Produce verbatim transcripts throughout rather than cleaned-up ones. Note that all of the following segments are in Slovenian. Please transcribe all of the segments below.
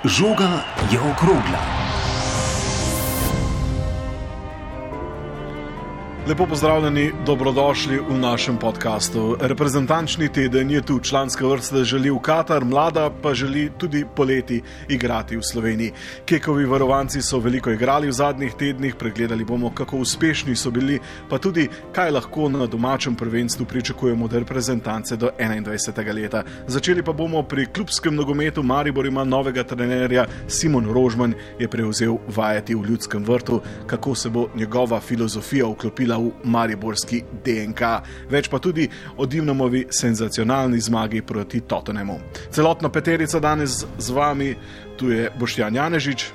Žoga je okrogla. Lepo pozdravljeni, dobrodošli v našem podkastu. Reprezentančni teden je tu, članska vrsta želi v Katar, mlada pa želi tudi poleti igrati v Sloveniji. Kekovi varovanci so veliko igrali v zadnjih tednih, pregledali bomo, kako uspešni so bili, pa tudi, kaj lahko na domačem prvenstvu pričakujemo od reprezentance do enaindvajsetega leta. Začeli pa bomo pri klubskem nogometu. Maribor ima novega trenerja, Simon Rožman je prevzel vajeti v Ljudskem vrtu, kako se bo njegova filozofija vklopila v mariborski D N K. Več pa tudi o Dimnamovi senzacionalni zmagi proti Tottenhamu. Celotna peterica danes z vami, tu je Boštjan Janežič.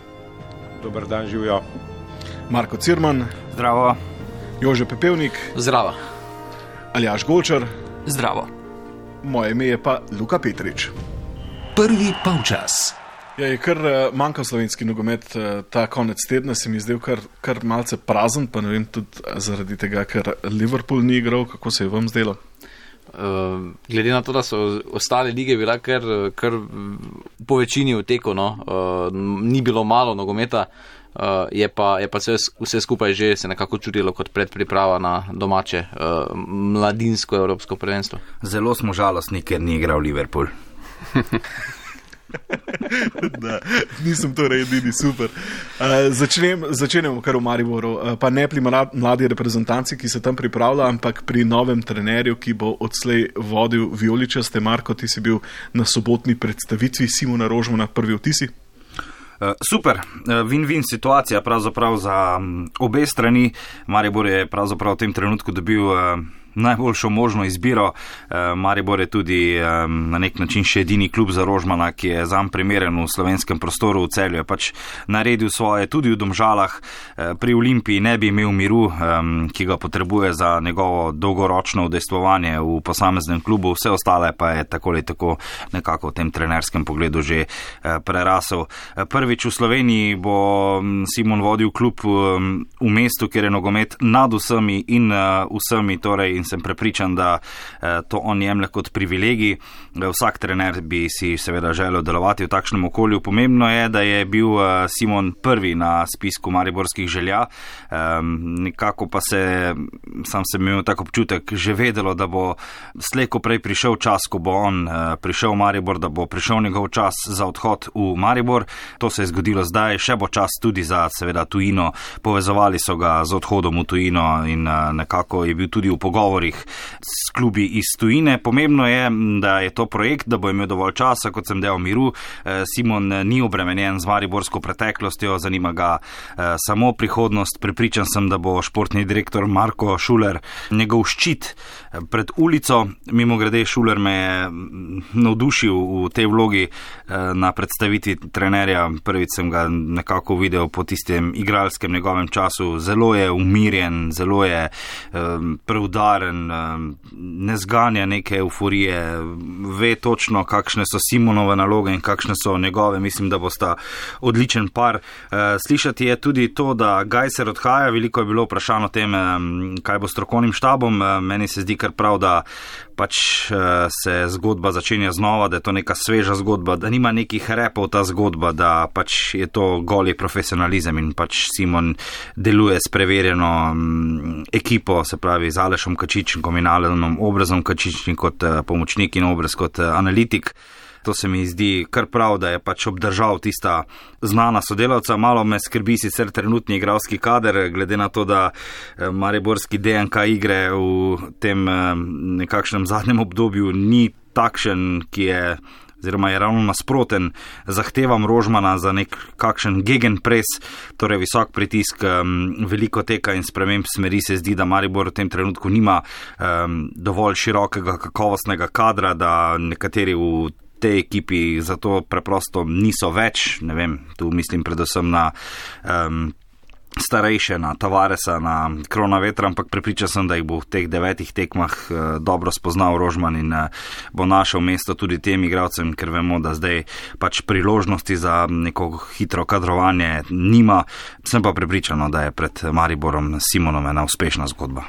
Dober dan, živijo. Marko Cirman. Zdravo. Jože Pepevnik. Zdravo. Aljaž Golčar. Zdravo. Moje ime je pa Luka Petrič. Prvi polčas. Ja, je kar manjkal slovenski nogomet ta konec tedna, se mi zdel kar, kar malce prazen, pa ne vem, tudi zaradi tega, ker Liverpool ni igral. Kako se je vam zdelo? Uh, glede na to, da so ostale lige bila kar, kar po večini v teku, no? uh, ni bilo malo nogometa, uh, je pa, je pa vse, vse skupaj že se nekako čutilo kot predpriprava na domače uh, mladinsko evropsko prvenstvo. Zelo smo žalostni, ker ni igral Liverpool. Da, nisem torej edini, super. Uh, začnem, začenjamo kar v Mariboru, uh, pa ne pri mladi reprezentanci, ki se tam pripravlja, ampak pri novem trenerju, ki bo odslej vodil vijoličaste. Marko, ti si bil na sobotni predstavitvi Simona Rožmana, prvi vtisi? Uh, super, uh, win-win situacija pravzaprav za um, obe strani. Maribor je pravzaprav v tem trenutku dobil uh, najboljšo možno izbiro. Maribor je tudi na nek način še edini klub za Rožmana, ki je zanj primeren v slovenskem prostoru. V Celju je pač naredil svoje, tudi v Domžalah. Pri Olimpiji ne bi imel miru, ki ga potrebuje za njegovo dolgoročno udejstvovanje v posameznem klubu. Vse ostale pa je tako ali tako nekako v tem trenerskem pogledu že prerasel. Prvič v Sloveniji bo Simon vodil klub v mestu, kjer je nogomet nad vsemi in vsemi, torej in sem prepričan, da to on jemlje kot privilegij. Vsak trener bi si seveda želel delovati v takšnem okolju. Pomembno je, da je bil Simon prvi na spisku mariborskih želja. Nekako pa se, sam sem imel tak občutek, že vedelo, da bo slej ko prej prišel čas, ko bo on prišel v Maribor, da bo prišel njegov čas za odhod v Maribor. To se je zgodilo zdaj, še bo čas tudi za seveda tujino. Povezovali so ga z odhodom v tujino in nekako je bil tudi v pogovoru s klubi iz tujine. Pomembno je, da je to projekt, da bo imel dovolj časa, kot sem dejal, miru. Simon ni obremenjen z mariborsko preteklostjo, zanima ga samo prihodnost. Prepričan sem, da bo športni direktor Marko Šuler njegov ščit pred ulico. Mimo grede, Šuler me je navdušil v tej vlogi na predstavitvi trenerja. Prvič sem ga nekako videl po tistem igralskem njegovem času. Zelo je umirjen, zelo je preudaren, ne zganja neke euforije, ve točno, kakšne so Simonove naloge in kakšne so njegove. Mislim, da bosta odličen par. Slišati je tudi to, da Gajser odhaja. Veliko je bilo vprašano o tem, kaj bo s strokovnim štabom. Meni se zdi kar prav, da pač se zgodba začenja znova, da je to neka sveža zgodba, da nima nekih repov ta zgodba, da pač je to goli profesionalizem in pač Simon deluje s preverjeno ekipo, se pravi z Alešom Kačičnikom in Alenom Obrazom Kačičnik kot pomočnik in Obraz kot analitik. To se mi zdi kar prav, da je pač obdržal tista znana sodelavca. Malo me skrbi sicer trenutni igralski kader, glede na to, da mariborski D N K igre v tem nekakšnem zadnjem obdobju ni takšen, ki je oziroma je ravno nasproten zahtevam Rožmana za nek kakšen gegenpress, torej visok pritisk, veliko teka in sprememb smeri. Se zdi, da Maribor v tem trenutku nima um, dovolj širokega kakovostnega kadra, da nekateri v tej ekipi zato preprosto niso več. Ne vem, tu mislim predvsem na um, starejše, na Tavaresa, na Kronavetra, ampak prepričan sem, da jih bo v teh devetih tekmah uh, dobro spoznal Rožman in uh, bo našel mesto tudi tem igralcem, ker vemo, da zdaj pač priložnosti za neko hitro kadrovanje nima. Sem pa prepričan, da je pred Mariborom Simonom ena uspešna zgodba.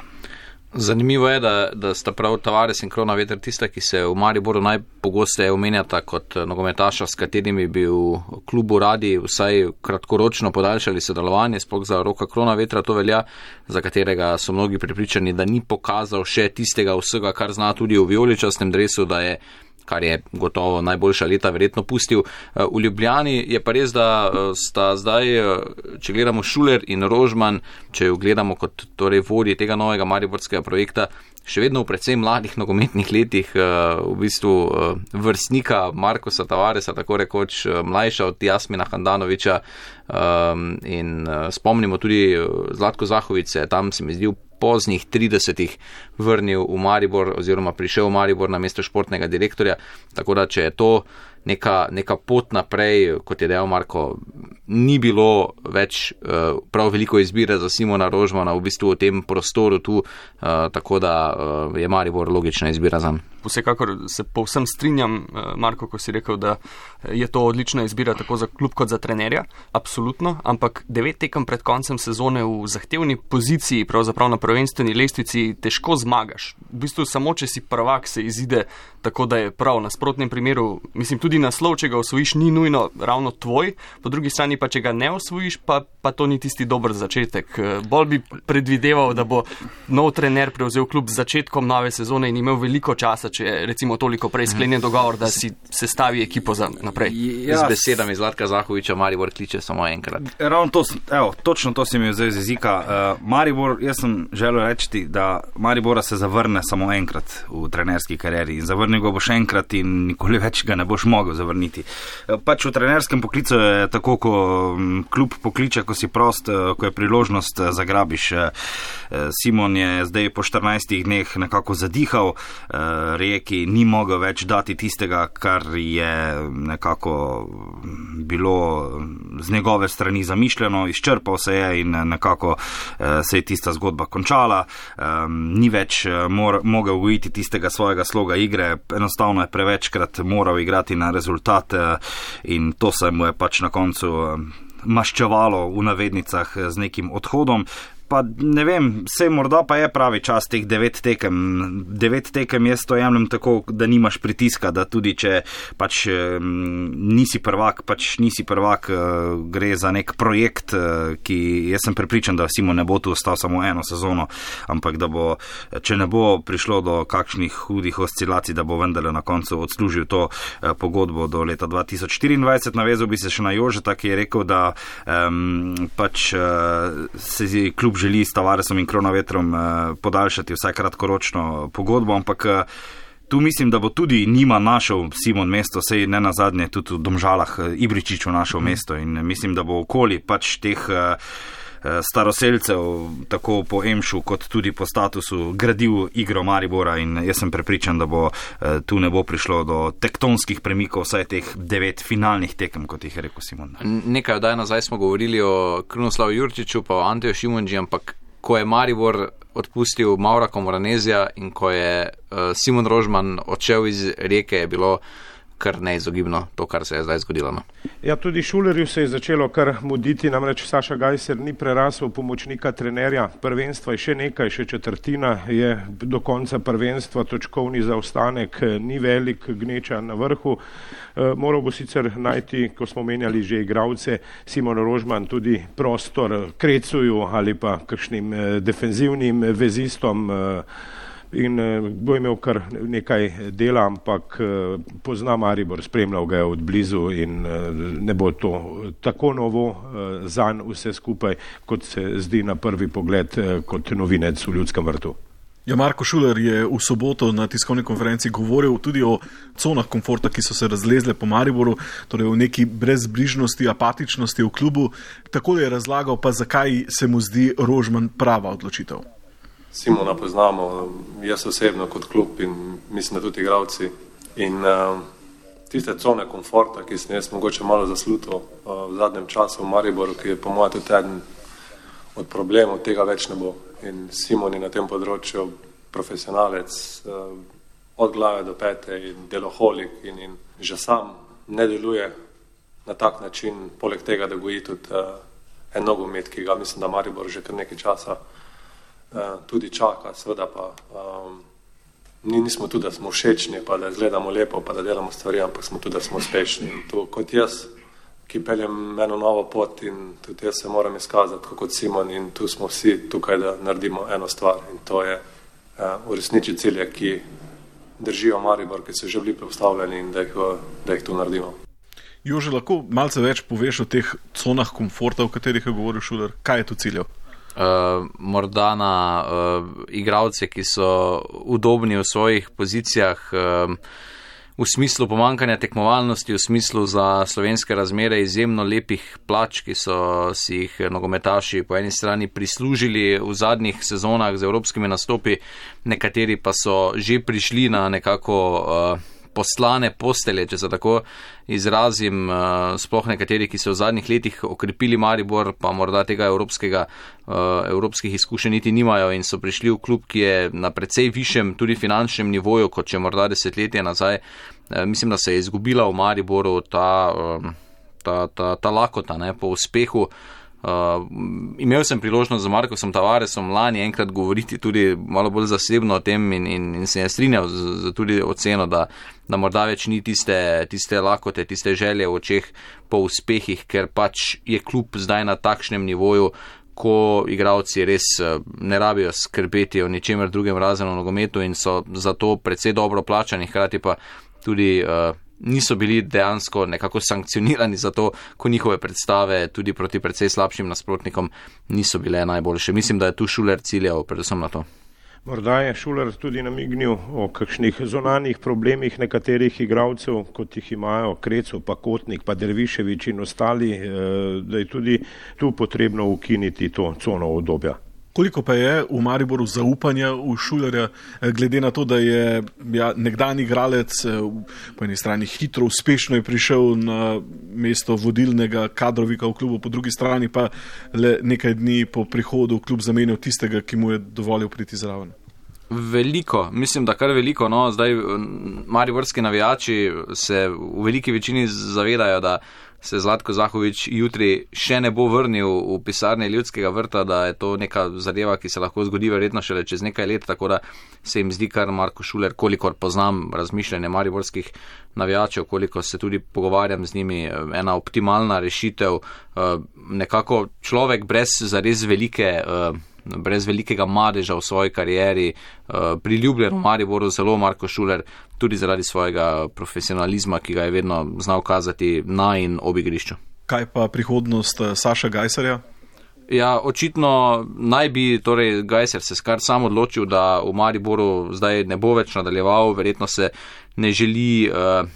Zanimivo je, da, da sta prav Tavares in Kronaveter tista, ki se v Mariboru najpogosteje omenjata kot nogometaša, s katerimi bi v klubu radi vsaj kratkoročno podaljšali sodelovanje, sploh za Roka Kronavetra to velja, za katerega so mnogi prepričani, da ni pokazal še tistega vsega, kar zna tudi v vijoličastem dresu, da je, kar je gotovo najboljša leta verjetno pustil. V Ljubljani je pa res, da sta zdaj, če gledamo Šuler in Rožman, če jo gledamo kot torej vodji tega novega mariborskega projekta, še vedno v predvsem mladih nogometnih letih, v bistvu vrstnika Markosa Tavaresa, tako rekoč mlajša od Jasmina Handanoviča, in spomnimo tudi Zlatko Zahović se tam se mi zdi v poznih tridesetih vrnil v Maribor oziroma prišel v Maribor na mesto športnega direktorja, tako da če je to neka, neka pot naprej, kot je dejal Marko, ni bilo več uh, prav veliko izbire za Simona Rožmana v bistvu v tem prostoru tu, uh, tako da uh, je Maribor logična izbira zanj. Vsekakor se povsem strinjam, Marko, ko si rekel, da je to odlična izbira tako za klub kot za trenerja, absolutno, ampak devet tekem pred koncem sezone v zahtevni poziciji, pravzaprav na prvenstveni lestvici, težko zmagaš. V bistvu samo, če si prvak, se izide tako, da je prav. Na nasprotnem primeru, mislim, tudi naslov, če ga osvojiš, ni nujno ravno tvoj, po drugi strani pa, če ga ne osvojiš, pa, pa to ni tisti dober začetek. Bolj bi predvideval, da bo nov trener prevzel klub z začetkom nove sezone in imel veliko časa, če je recimo toliko prej sklenjen dogovor, da si sestavi ekipo za naprej. Ja, z besedami Zlatka Zahoviča Maribor kliče samo enkrat. Ravno to, evo, točno to si mi vzel z jezika. Uh, Maribor, jaz sem želel reči, da Maribora se zavrne samo enkrat v trenerski karieri in zavrnil ga boš enkrat in nikoli več ga ne boš mogel zavrniti. Uh, pač v trenerskem poklicu je tako, ko um, klub pokliče, ko si prost, uh, ko je priložnost, uh, zagrabiš. Uh, Simon je zdaj po štirinajstih dneh nekako zadihal, uh, Rijeki ni mogel več dati tistega, kar je nekako bilo z njegove strani zamišljeno, izčrpal se je in nekako se je tista zgodba končala. Ni več mor, mogel ujiti tistega svojega sloga igre, enostavno je prevečkrat moral igrati na rezultat in to se mu je pač na koncu maščevalo v navednicah z nekim odhodom. Pa ne vem, sej morda pa je pravi čas teh devet tekem. Devet tekem jaz to jemljem tako, da nimaš pritiska, da tudi če pač m, nisi prvak, pač nisi prvak, gre za nek projekt, ki jaz sem prepričan, da Simon ne bo tu ostal samo eno sezono, ampak da bo, če ne bo prišlo do kakšnih hudih oscilacij, da bo vendarle na koncu odslužil to pogodbo do leta dva tisoč štiriindvajset. Navezal bi se še na Jožeta, ki je rekel, da um, pač uh, se klub želi s Tavaresom in Kronavetrom eh, podaljšati vsaj kratkoročno pogodbo, ampak eh, tu mislim, da bo tudi njima našel Simon mesto, sej ne nazadnje tudi v Domžalah eh, Ibričiču našel mm. mesto in mislim, da bo okoli pač teh eh, staroselcev, tako po Emšu kot tudi po statusu, gradil igro Maribora in jaz sem prepričan, da bo eh, tu ne bo prišlo do tektonskih premikov, vsaj teh devet finalnih tekem, kot jih je rekel Simon. Nekaj odaj nazaj smo govorili o Krunoslavu Jurčiču pa o Anteju Šimunži, ampak ko je Maribor odpustil Maura Komoranezija in ko je uh, Simon Rožman odšel iz Rijeke, je bilo kar neizogibno to, kar se je zdaj zgodilo. No. Ja, tudi Šulerju se je začelo kar muditi, namreč Saša Gajser ni prerasel pomočnika trenerja prvenstva, je še nekaj, še četrtina je do konca prvenstva, točkovni zaostanek ni velik, gneča na vrhu. E, moral bo sicer najti, ko smo menjali že igralce, Simon Rožman tudi prostor Krecuju ali pa kakšnim defenzivnim vezistom, in bo imel kar nekaj dela, ampak pozna Maribor, spremljal ga je od blizu in ne bo to tako novo zanj vse skupaj, kot se zdi na prvi pogled kot novinec v Ljudskem vrtu. Ja, Marko Šuler je v soboto na tiskovni konferenci govoril tudi o conah komforta, ki so se razlezle po Mariboru, torej o neki brezbrižnosti, apatičnosti v klubu. Tako je razlagal pa, zakaj se mu zdi Rožman prava odločitev. Simona poznamo, jaz osebno kot klub in mislim, da tudi igralci. In uh, tiste cone komforta, ki sem jaz mogoče malo zaslutil uh, v zadnjem času v Mariboru, ki je po mojem tudi eden od problemov, tega več ne bo. In Simon je na tem področju profesionalec uh, od glave do pete in deloholik in, in že sam ne deluje na tak način, poleg tega, da goji tudi uh, en nogomet, ki ga mislim, da Maribor že kar nekaj časa tudi čaka, seveda pa um, nismo tudi, da smo všečni, pa da izgledamo lepo, pa da delamo stvari, ampak smo tudi, da smo uspešni. In to kot jaz, ki peljem eno novo pot in tudi jaz se moram izkazati kot Simon in tu smo vsi tukaj, da naredimo eno stvar in to je uh, uresničiti cilje, ki držijo Maribor, ki so že bili postavljeni in da jih, da jih tu naredimo. Jože, lahko malce več poveš o teh conah komforta, o katerih je govoril Šuler? Kaj je to ciljev? Uh, morda na uh, igralce, ki so udobni v svojih pozicijah, uh, v smislu pomankanja tekmovalnosti, v smislu za slovenske razmere izjemno lepih plač, ki so si jih nogometaši po eni strani prislužili v zadnjih sezonah z evropskimi nastopi, nekateri pa so že prišli na nekako uh, poslane postelje, če se tako izrazim, sploh nekateri, ki so v zadnjih letih okrepili Maribor, pa morda tega evropskega, evropskih izkušenj niti nimajo in so prišli v klub, ki je na precej višjem tudi finančnem nivoju, kot če morda desetletje nazaj. Mislim, da se je izgubila v Mariboru ta, ta, ta, ta lakota, ne, po uspehu. Uh, imel sem priložnost z Markosom Tavaresom lani enkrat govoriti tudi malo bolj zasebno o tem in, in, in se je strinjal z, z tudi oceno, da, da morda več ni tiste, tiste lakote, tiste želje v očeh po uspehih, ker pač je klub zdaj na takšnem nivoju, ko igralci res ne rabijo skrbeti o ničemer drugem razen o nogometu in so zato precej dobro plačani, hkrati pa tudi uh, niso bili dejansko nekako sankcionirani za to, ko njihove predstave tudi proti precej slabšim nasprotnikom niso bile najboljše. Mislim, da je tu Šuler ciljal predvsem na to. Morda je Šuler tudi namignil o kakšnih zonanih problemih nekaterih igralcev, kot jih imajo Kreco, pa Kotnik, pa Derviševič in ostali, da je tudi tu potrebno ukiniti to cono obdobja. Koliko pa je v Mariboru zaupanja v Šulerja, glede na to, da je ja, nekdanji igralec po eni strani hitro, uspešno je prišel na mesto vodilnega kadrovika v klubu, po drugi strani pa le nekaj dni po prihodu v klub zamenjal tistega, ki mu je dovolil priti zraven? Veliko, mislim, da kar veliko. No, zdaj mariborski navijači se v veliki večini zavedajo, da se Zlatko Zahovič jutri še ne bo vrnil v pisarne Ljudskega vrta, da je to neka zadeva, ki se lahko zgodi verjetno šele čez nekaj let, tako da se jim zdi kar Marko Šuler, kolikor poznam razmišljanje mariborskih navijačev, koliko se tudi pogovarjam z njimi, ena optimalna rešitev, nekako človek brez zares velike brez velikega madeža v svoji karieri, priljubljen v Mariboru zelo Marko Šuler, tudi zaradi svojega profesionalizma, ki ga je vedno znal kazati na in ob igrišču. Kaj pa prihodnost Saša Gajserja? Ja, očitno naj bi torej Gajser se skar sam odločil, da v Mariboru zdaj ne bo več nadaljeval, verjetno se ne želi uh,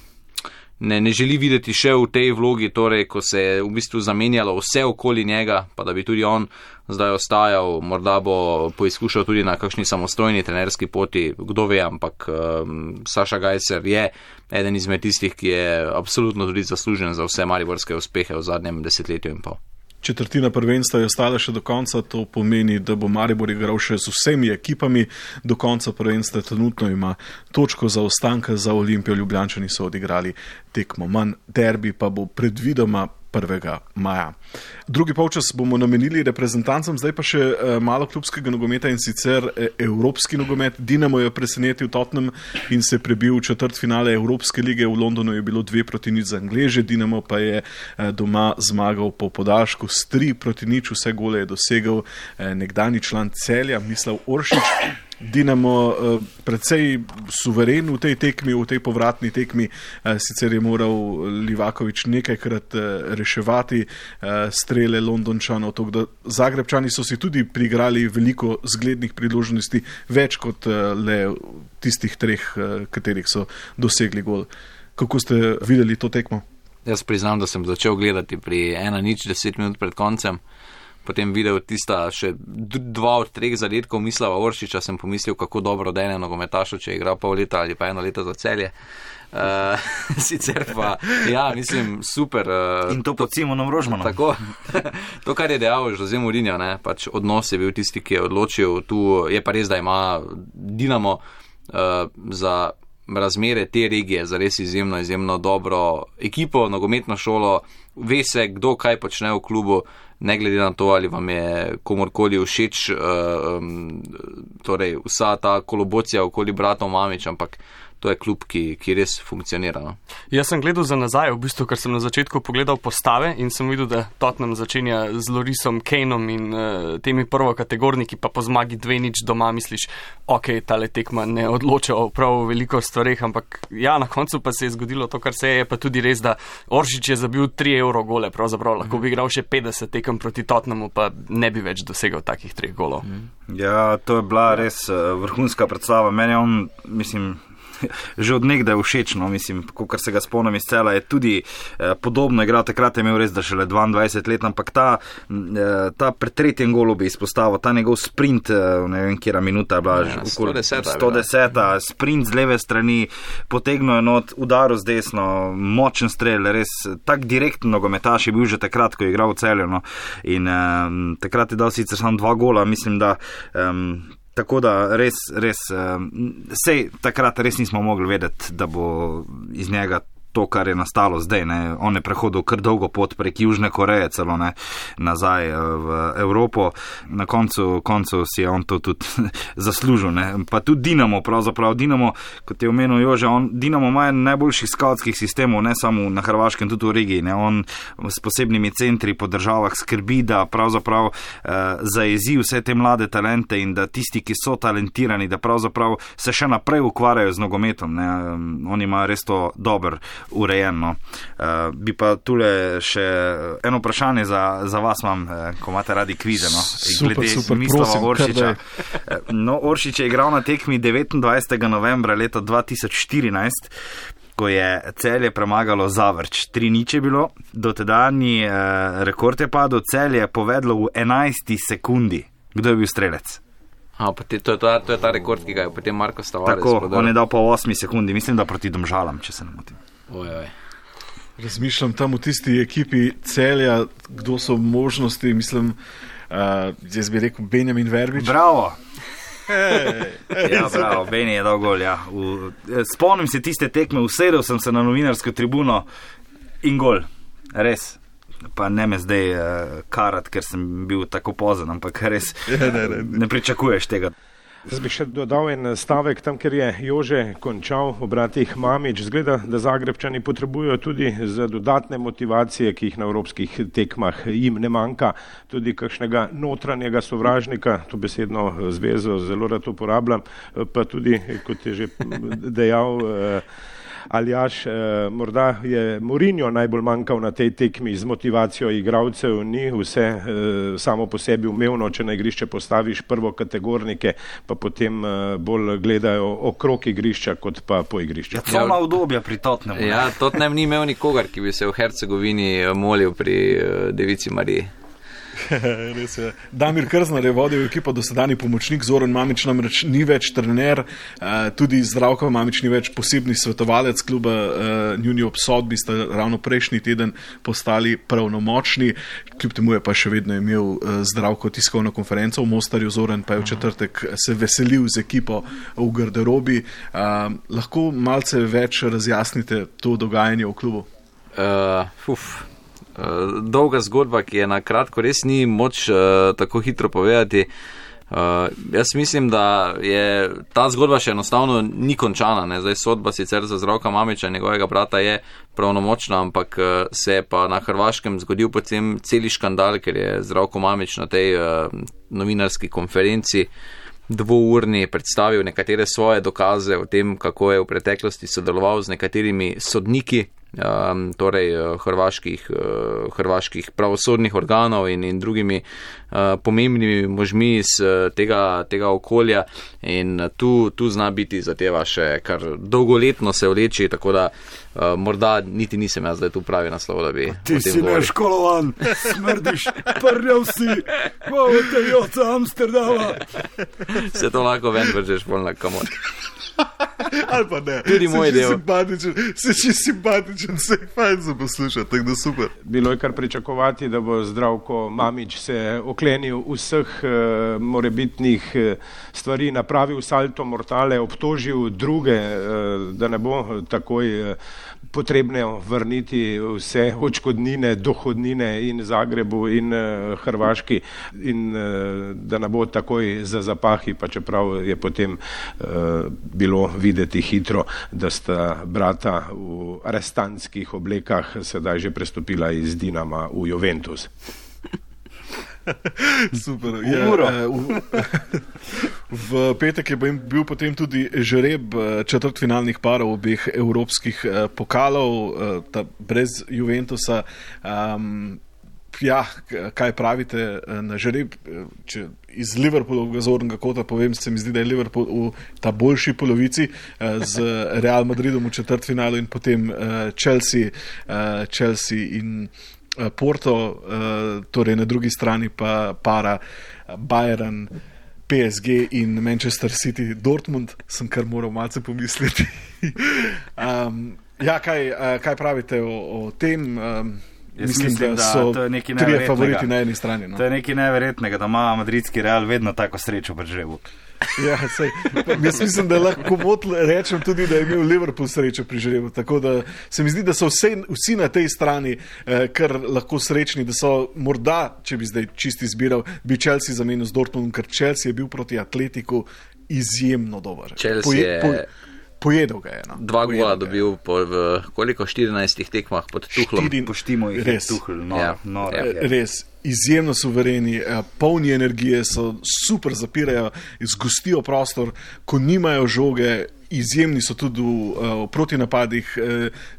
Ne, ne želi videti še v tej vlogi, torej, ko se je v bistvu zamenjalo vse okoli njega, pa da bi tudi on zdaj ostajal, morda bo poizkušal tudi na kakšni samostojni trenerski poti, kdo ve, ampak um, Saša Gajser je eden izmed tistih, ki je absolutno tudi zaslužen za vse mariborske uspehe v zadnjem desetletju in pol. Četrtina prvenstva je ostala še do konca, to pomeni, da bo Maribor igral še z vsemi ekipami, do konca prvenstva trenutno ima točko za ostanka za Olimpijo, Ljubljančani so odigrali tekmo manj, derbi pa bo predvidoma prvega maja. Drugi polčas bomo namenili reprezentancem, zdaj pa še malo klubskega nogometa in sicer evropski nogomet. Dinamo je presenetil Tottenham in se prebil v četrtfinale Evropske lige. V Londonu je bilo dve proti nič za Angleže, Dinamo pa je doma zmagal po podaljšku s tri proti nič, vse gole je dosegel nekdanji član Celja, Mislav Oršić. Dinamo uh, precej suveren v tej tekmi, v tej povratni tekmi, uh, sicer je moral Livaković nekajkrat uh, reševati uh, strele Londončanov, tako da Zagrebčani so si tudi priigrali veliko zglednih priložnosti, več kot uh, le tistih treh, uh, katerih so dosegli gol. Kako ste videli to tekmo? Jaz priznam, da sem začel gledati pri ena nič deset minut pred koncem. Potem videl tista še dva od treh zadetkov Mislava Oršića, sem pomislil, kako dobro dene nogometašu, če je igral pol leta ali pa eno leto za Celje. Uh, sicer pa, ja, mislim, super. Uh, In to pod Simonom Rožmanom. Tako, to, kar je dejal Jose Mourinho, ne, pač odnos je bil tisti, ki je odločil. Tu je pa res, da ima Dinamo uh, za razmere te regije zares izjemno, izjemno dobro ekipo, nogometno šolo, ve se, kdo kaj počne v klubu, ne glede na to, ali vam je komorkoli všeč, um, torej vsa ta kolobocija okoli bratov Mamić, ampak to je klub, ki, ki res funkcionira. No? Jaz sem gledal za nazaj, v bistvu, ker sem na začetku pogledal postave in sem videl, da Tottenham začenja z Lorisom Kaneom in uh, temi prvokategorniki, pa po zmagi dve nič doma misliš, ok, tale tekma ne odloča o prav veliko stvareh, ampak ja, na koncu pa se je zgodilo to, kar se je, pa tudi res, da Oršić je zabil tri evro gole, pravzaprav lahko bi igral še petdeset tekem proti Tottenhamu, pa ne bi več dosegal takih treh golov. Ja, to je bila res uh, vrhunska predstava. Meni on, mislim, že od nekdaj všečno, mislim, kar se ga spomnim iz cela, je tudi eh, podobno igral, takrat je imel res, da šele dvaindvajset let, ampak ta, eh, ta pred tretjem golu bi izpostavil, ta njegov sprint, eh, ne vem, kjera minuta je bila, ja, sto deset, sto deset, sprint z leve strani, potegnil enot, udaril z desno, močen strel, res tak direktno nogometaš je bil že takrat, ko je igral v Celju, no, in eh, takrat je dal sicer samo dva gola, mislim, da eh, tako da res, res, sej takrat res nismo mogli vedeti, da bo iz njega to, kar je nastalo zdaj, ne. On je prehodil kar dolgo pot prek Južne Koreje celo, ne, nazaj v Evropo. Na koncu, koncu si je on to tudi zaslužil, ne. Pa tudi Dinamo, pravzaprav Dinamo, kot je omenil Jože, on, Dinamo ima najboljših skautskih sistemov, ne samo na Hrvaškem, tudi v regiji, ne. On s posebnimi centri po državah skrbi, da pravzaprav eh, zajezi vse te mlade talente in da tisti, ki so talentirani, da pravzaprav se še naprej ukvarjajo z nogometom, ne. Oni imajo res to dober urejeno. Uh, bi pa tule še eno vprašanje za, za vas imam, uh, ko imate radi kvize, no? Super, glede super, Mislava prosim, Oršića. No, Oršić je igral na tekmi devetindvajsetega novembra leta dva tisoč štirinajst, ko je Celje premagalo Zavrč. Tri nič je bilo, dotedanji uh, rekord je padel, Celje je povedlo v enajsti sekundi. Kdo je bil strelec? A, pa te, to, je ta, to je ta rekord, ki ga je potem Marko Stavares Tako, podal. on je dal po osmi sekundi, mislim, da proti Domžalam, če se ne motim. Oj, oj. Razmišljam tam v tisti ekipi Celja, kdo so možnosti, mislim, uh, jaz bi rekel Benjamin Verbič. Bravo! Ja, bravo, Beni je dal gol, ja. V, spomnim se tiste tekme, usedel sem se na novinarsko tribuno in gol. Res. Pa ne me zdaj uh, karat, ker sem bil tako pozen, ampak res ne, ne, ne. ne pričakuješ tega. Zdaj bi še dodal en stavek tam, ker je Jože končal o bratih Mamić. Zgleda, da Zagrebčani potrebujejo tudi za dodatne motivacije, ki jih na evropskih tekmah jim ne manjka, tudi kakšnega notranjega sovražnika, to besedno zvezo zelo rad uporabljam, pa tudi, kot je že dejal Aljaž, morda je Mourinho najbolj manjkal na tej tekmi z motivacijo igralcev, ni vse samo po sebi umevno, če na igrišče postaviš prvokategornike, pa potem bolj gledajo okrog igrišča, kot pa po igrišču. Ja, celo obdobja pri Tottenhamu. Ja, Tottenham ni imel nikogar, ki bi se v Hercegovini molil pri Devici Mariji. Res je. Damir Krznar je vodil ekipo, dosedanji pomočnik, Zoran Mamić namreč ni več trener, tudi Zdravko Mamić ni več posebni svetovalec kluba, njuni obsodbi sta ravno prejšnji teden postali pravnomočni, kljub temu je pa še vedno imel Zdravko tiskovno konferenco v Mostarju, Zoran pa je v četrtek se veselil z ekipo v garderobi. Lahko malce več razjasnite to dogajanje v klubu? Uh, uf. Dolga zgodba, ki je na kratko res ni moč uh, tako hitro povedati. Uh, jaz mislim, da je ta zgodba še enostavno ni končana. Ne? Zdaj sodba sicer za Zdravka Mamića, njegovega brata, je pravnomočna, ampak uh, se je pa na Hrvaškem zgodil potem celi škandal, ker je Zdravko Mamić na tej uh, novinarski konferenci dvourni predstavil nekatere svoje dokaze o tem, kako je v preteklosti sodeloval z nekaterimi sodniki, Um, torej hrvaških, uh, hrvaških pravosodnih organov in, in drugimi uh, pomembnimi možmi iz uh, tega, tega okolja in uh, tu, tu zna biti zadeva še kar dolgoletno se vleči, tako da uh, morda niti nisem jaz zdaj tu pravi naslov, da bi ti si neškolovan, smrdiš, prljav si, malo te joca Amsterdama. Se to lahko ven vržeš bolj na kamor. Ali pa ne. Tudi moj del. Simpatičen, se si simpatičen, se je fajn za poslušati, tako da super. Bilo je kar pričakovati, da bo Zdravko Mamić se oklenil vseh uh, morebitnih uh, stvari, napravil salto mortale, obtožil druge, uh, da ne bo takoj uh, potrebno vrniti vse odškodnine, dohodnine in Zagrebu in uh, Hrvaški in uh, da ne bo takoj za zapahi, pa čeprav je potem uh, bilo videti hitro, da sta brata v arestantskih oblekah sedaj že prestopila iz Dinama v Juventus. Super. Ja, v, v petek je bil potem tudi žreb četrtfinalnih parov obeh evropskih pokalov, ta brez Juventusa. Um, ja, kaj pravite na žreb? Če iz Liverpoolovega zornega kota povem, se mi zdi, da je Liverpool v ta boljši polovici z Real Madridom v četrtfinalu in potem Chelsea, Chelsea in Porto, torej na drugi strani pa para Bayern, P S G in Manchester City, Dortmund, sem kar moral malce pomisliti. um, ja, kaj, kaj pravite o, o tem? Um, mislim, mislim, da so da trije favoriti na eni strani. No? To je nekaj neverjetnega, da ima madridski Real vedno tako srečo pri žrebu. Ja, sej, jaz mislim, da lahko rečem tudi, da je imel Liverpool srečo pri žrebu, tako da se mi zdi, da so vse, vsi na tej strani eh, kar lahko srečni, da so morda, če bi zdaj čisti izbiral, bi Chelsea zamenil z Dortmundom, ker Chelsea je bil proti Atletiku izjemno dober. Chelsea Poje, je... po, pojedel ga je. No. Dva gola dobil po v koliko štirinajstih tekmah pod Tuchlom. Štiri, poštimo jih res, Tuchl, no, ja, no, ja. ja. Res. Izjemno suvereni, polni energije, so super zapirajo, zgostijo prostor, ko nimajo žoge, izjemni so tudi v, v protinapadih,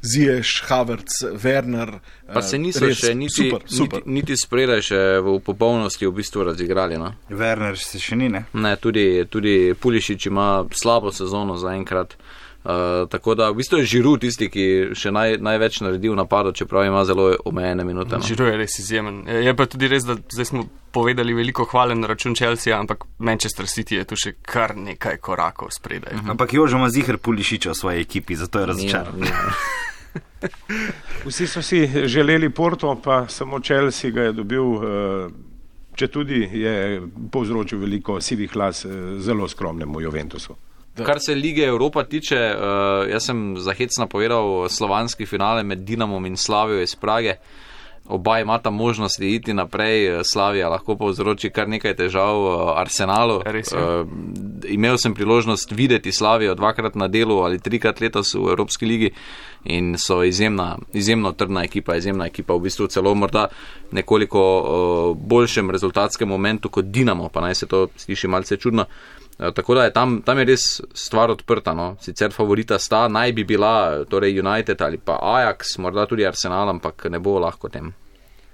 Ziyech, Havertz, Werner. Pa se niso res, še niti, super, super. niti, niti spredaj še v popolnosti v bistvu razigrali. No? Werner se še ni, ne? Ne, tudi, tudi Pulišič ima slabo sezono zaenkrat. Uh, tako da v bistvu je Giroud tisti, ki še naj, največ naredi v napadu, čeprav ima zelo omejene minute. No. Giroud je res izjemen. Je pa tudi res, da zdaj smo povedali veliko hvale na račun Chelsea, ampak Manchester City je tu še kar nekaj korakov spredaj. Uh-huh. Ampak Jožo ima ziher Pulišiča v svoji ekipi, zato je razočaran. Vsi so si želeli Porto, pa samo Chelsea ga je dobil, če tudi je povzročil veliko sivih las zelo skromnemu Juventusu. Kar se Lige Evropa tiče, uh, jaz sem za hec napovedal slovanski finale med Dinamom in Slavijo iz Prage. Oba imata možnosti iti naprej, Slavija lahko povzroči kar nekaj težav Arsenalu. Uh, imel sem priložnost videti Slavijo dvakrat na delu ali trikrat letos v Evropski ligi in so izjemna, izjemno trdna ekipa, izjemna ekipa v bistvu celo morda nekoliko uh, boljšem rezultatskem momentu kot Dinamo, pa naj se to sliši malce čudno. Tako da je tam, tam je res stvar odprta. No. Sicer favorita sta, naj bi bila torej United ali pa Ajax, morda tudi Arsenal, ampak ne bo lahko tem.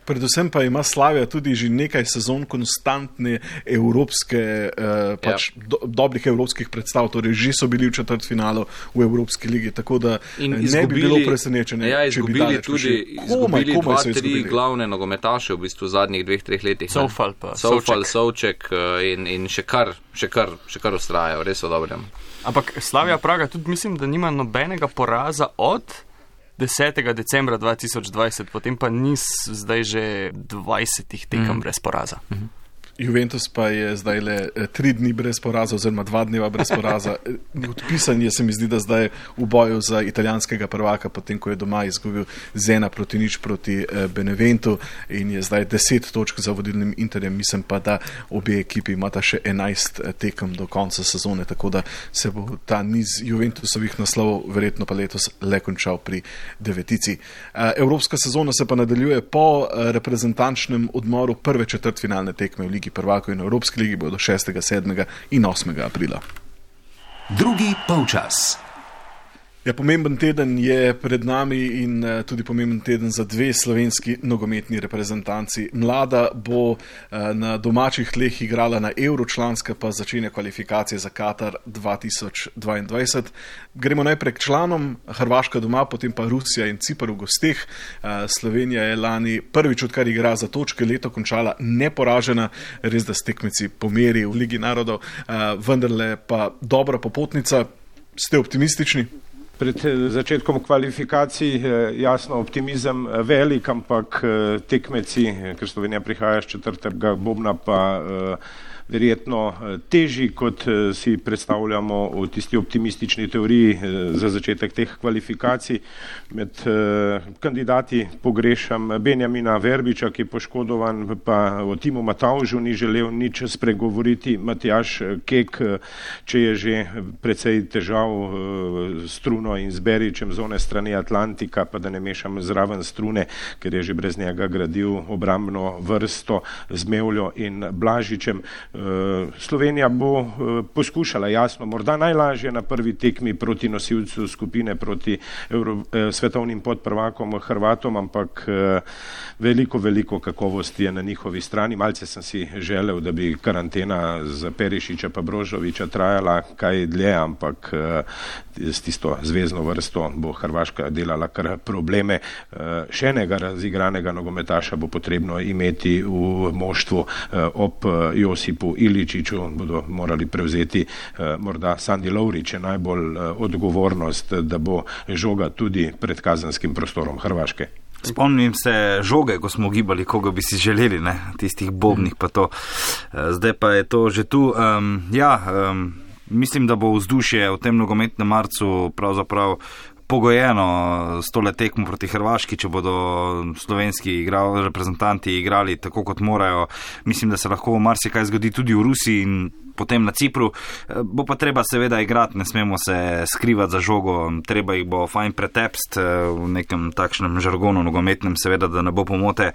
Predvsem pa ima Slavija tudi že nekaj sezon konstantne evropske, eh, pač ja. do, dobrih evropskih predstav, torej že so bili v četrtfinalu v Evropski ligi, tako da in ne izgubili, bi bilo presenečenje, ja, če bi daleč tudi izgubili komaj, komaj dva, tri glavne nogometaše v bistvu v zadnjih dveh, treh letih. Soufal pa. Soufal, Souček in, in še kar, še kar, še kar ustrajajo, res so dobrem. Ampak Slavija Praga tudi mislim, da nima nobenega poraza od desetega decembra dva tisoč dvajset, potem pa nis zdaj že dvajsetih tekem mm. brez poraza. Mm-hmm. Juventus pa je zdaj le tri dni brez poraza oziroma dva dneva brez poraza. Odpisan je, se mi zdi, da zdaj v boju za italijanskega prvaka, potem ko je doma izgubil z ena proti nič proti Beneventu in je zdaj deset točk za vodilnim Interjem. Mislim pa, da obe ekipi imata še enajst tekem do konca sezone, tako da se bo ta niz Juventusovih naslovov verjetno pa letos le končal pri devetici. Evropska sezona se pa nadaljuje po reprezentančnem odmoru prve četrtfinalne tekme v Ligi prvakov in Evropski ligi bodo šestega, sedmega in osmega aprila. Drugi polčas. Ja, pomemben teden je pred nami in uh, tudi pomemben teden za dve slovenski nogometni reprezentanci. Mlada bo uh, na domačih tleh igrala na Euro, članska pa začenja kvalifikacije za Katar dva tisoč dvaindvajset. Gremo najprej k članom, Hrvaška doma, potem pa Rusija in Cipar v gosteh. Uh, Slovenija je lani prvič, odkar igra za točke, leto končala neporažena, res da s tekmeci pomeri v Ligi narodov, uh, vendarle pa dobra popotnica. Ste optimistični? Pred začetkom kvalifikacij jasno optimizem velik, ampak tekmeci, ker Slovenija prihaja z četrtega bobna, pa verjetno težji, kot si predstavljamo v tisti optimistični teoriji za začetek teh kvalifikacij. Med kandidati pogrešam Benjamina Verbiča, ki je poškodovan, pa o Timu Matavžu ni želel nič spregovoriti. Matjaž Kek, če je že precej težav s Struno in z Beričem z one strani Atlantika, pa da ne mešam zraven Strune, ker je že brez njega gradil obrambno vrsto z Mevljo in Blažičem. Slovenija bo poskušala, jasno, morda najlažje na prvi tekmi proti nosilcu skupine, proti Euro, svetovnim podprvakom Hrvatom, ampak veliko, veliko kakovosti je na njihovi strani. Malce sem si želel, da bi karantena za Perišiča pa Brožoviča trajala kaj dlje, ampak s tisto zvezno vrsto bo Hrvaška delala kar probleme. Še enega razigranega nogometaša bo potrebno imeti v moštvu ob Josipu Iličiću, bodo morali prevzeti morda Sandi Lovrić je najbolj odgovornost, da bo žoga tudi pred kazenskim prostorom Hrvaške. Spomnim se žoge, ko smo gibali, koga bi si želeli, ne? Tistih bobnih pa to. Zdaj pa je to že tu. Um, ja, um, mislim, da bo vzdušje v tem nogometnem marcu pravzaprav pogojeno s tole tekmo proti Hrvaški, če bodo slovenski igral, reprezentanti igrali tako, kot morajo. Mislim, da se lahko marsikaj zgodi tudi v Rusiji in potem na Cipru. Bo pa treba seveda igrati, ne smemo se skrivati za žogo, treba jih bo fajn pretepst v nekem takšnem žargonu nogometnem, seveda, da ne bo pomote.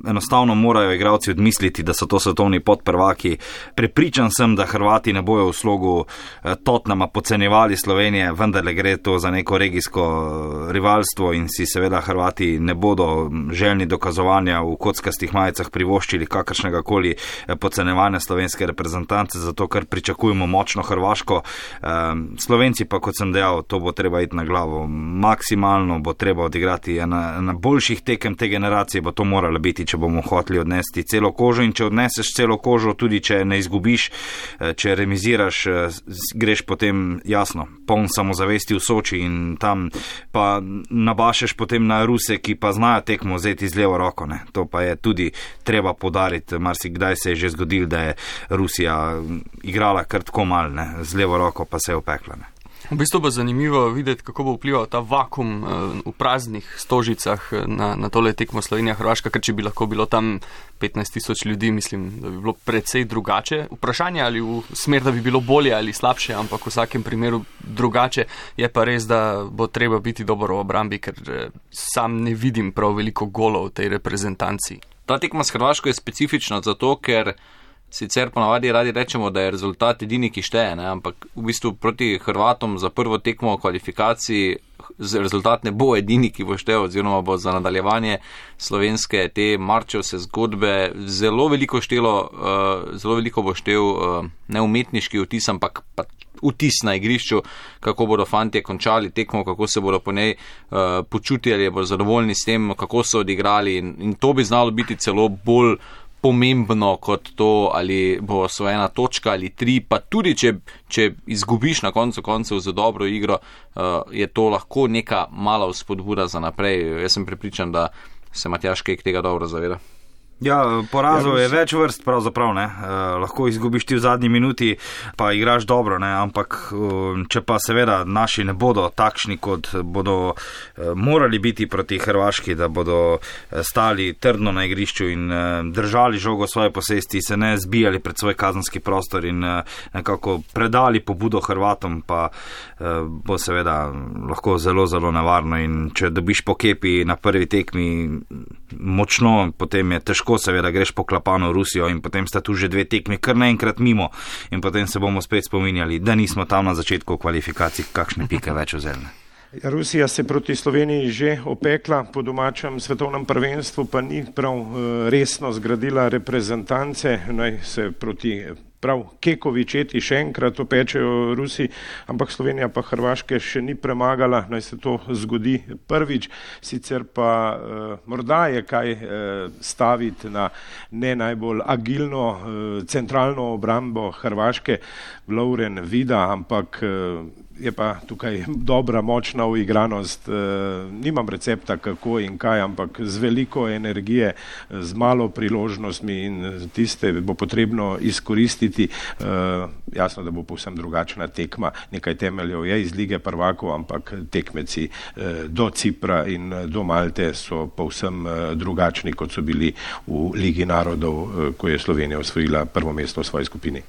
Enostavno morajo igralci odmisliti, da so to svetovni podprvaki. Prepričan sem, da Hrvati ne bojo v slogu Tottenhama podcenjevali Slovenije, vendar le gre to za neko regijsko rivalstvo in si seveda Hrvati ne bodo željni dokazovanja v kockastih majicah privoščili kakršnega koli podcenjevanja slovenske reprezentance, zato ker pričakujemo močno Hrvaško. Slovenci pa, kot sem dejal, to bo treba iti na glavo. Maksimalno bo treba odigrati na, na boljših tekem te generacije, bo to moralo biti, če bomo hoteli odnesti celo kožo, in če odneseš celo kožo, tudi če ne izgubiš, če remiziraš, greš potem, jasno, poln samozavesti v Soči in tam pa nabašeš potem na Ruse, ki pa znajo tekmo vzeti z levo roko, ne. To pa je tudi treba podariti. Marsikdaj se je že zgodil, da je Rusija igrala kar tako mal, ne, z levo roko pa se je opekla, ne. V bistvu bo zanimivo videti, kako bo vplival ta vakum v praznih stožicah na, na tole tekmo Slovenija-Hrvaška, ker če bi lahko bilo tam petnajst tisoč ljudi, mislim, da bi bilo precej drugače. Vprašanje ali v smer, da bi bilo bolje ali slabše, ampak v vsakem primeru drugače. Je pa res, da bo treba biti dobro v obrambi, ker sam ne vidim prav veliko golov v tej reprezentanci. Ta tekma s Hrvaško je specifična zato, ker sicer ponavadi radi rečemo, da je rezultat edini, ki šteje, ne? Ampak v bistvu proti Hrvatom za prvo tekmo v kvalifikaciji rezultat ne bo edini, ki bo štev, oziroma bo za nadaljevanje slovenske te marčevse zgodbe zelo veliko štelo, uh, zelo veliko bo štev uh, ne umetniški vtis, ampak pa vtis na igrišču, kako bodo fantje končali tekmo, kako se bodo po njej uh, počutili, ali bodo zadovoljni s tem, kako so odigrali, in, in to bi znalo biti celo bolj pomembno kot to, ali bo osvojena točka ali tri, pa tudi če, če izgubiš na koncu koncev za dobro igro, uh, je to lahko neka mala vzpodbuda za naprej. Jaz sem prepričan, da se Matjaž Kek tega dobro zaveda. Ja, porazov je več vrst pravzaprav, ne. E, lahko izgubiš ti v zadnji minuti, pa igraš dobro, ne, ampak če pa seveda naši ne bodo takšni, kot bodo e, morali biti proti Hrvaški, da bodo stali trdno na igrišču in e, držali žogo svoje posesti, se ne zbijali pred svoj kazenski prostor in e, nekako predali pobudo Hrvatom, pa e, bo seveda lahko zelo, zelo nevarno, in če dobiš po kepi na prvi tekmi močno, potem je težko, seveda greš po klapano v Rusijo in potem sta tu že dve tekmi kar naenkrat mimo in potem se bomo spet spominjali, da nismo tam na začetku kvalifikacij kakšne pike več vzeli. Rusija se proti Sloveniji že opekla, po domačem svetovnem prvenstvu pa ni prav resno zgradila reprezentance, naj se proti prav Kekovi četi še enkrat opečejo Rusi, ampak Slovenija pa Hrvaške še ni premagala, naj se to zgodi prvič, sicer pa eh, morda je kaj eh, staviti na ne najbolj agilno eh, centralno obrambo Hrvaške, Lovren Vida, ampak eh, je pa tukaj dobra, močna uigranost. Nimam recepta kako in kaj, ampak z veliko energije, z malo priložnostmi in tiste bo potrebno izkoristiti. Jasno, da bo povsem drugačna tekma. Nekaj temeljev je iz Lige prvakov, ampak tekmeci do Cipra in do Malte so povsem drugačni, kot so bili v Ligi narodov, ko je Slovenija osvojila prvo mesto v svoji skupini.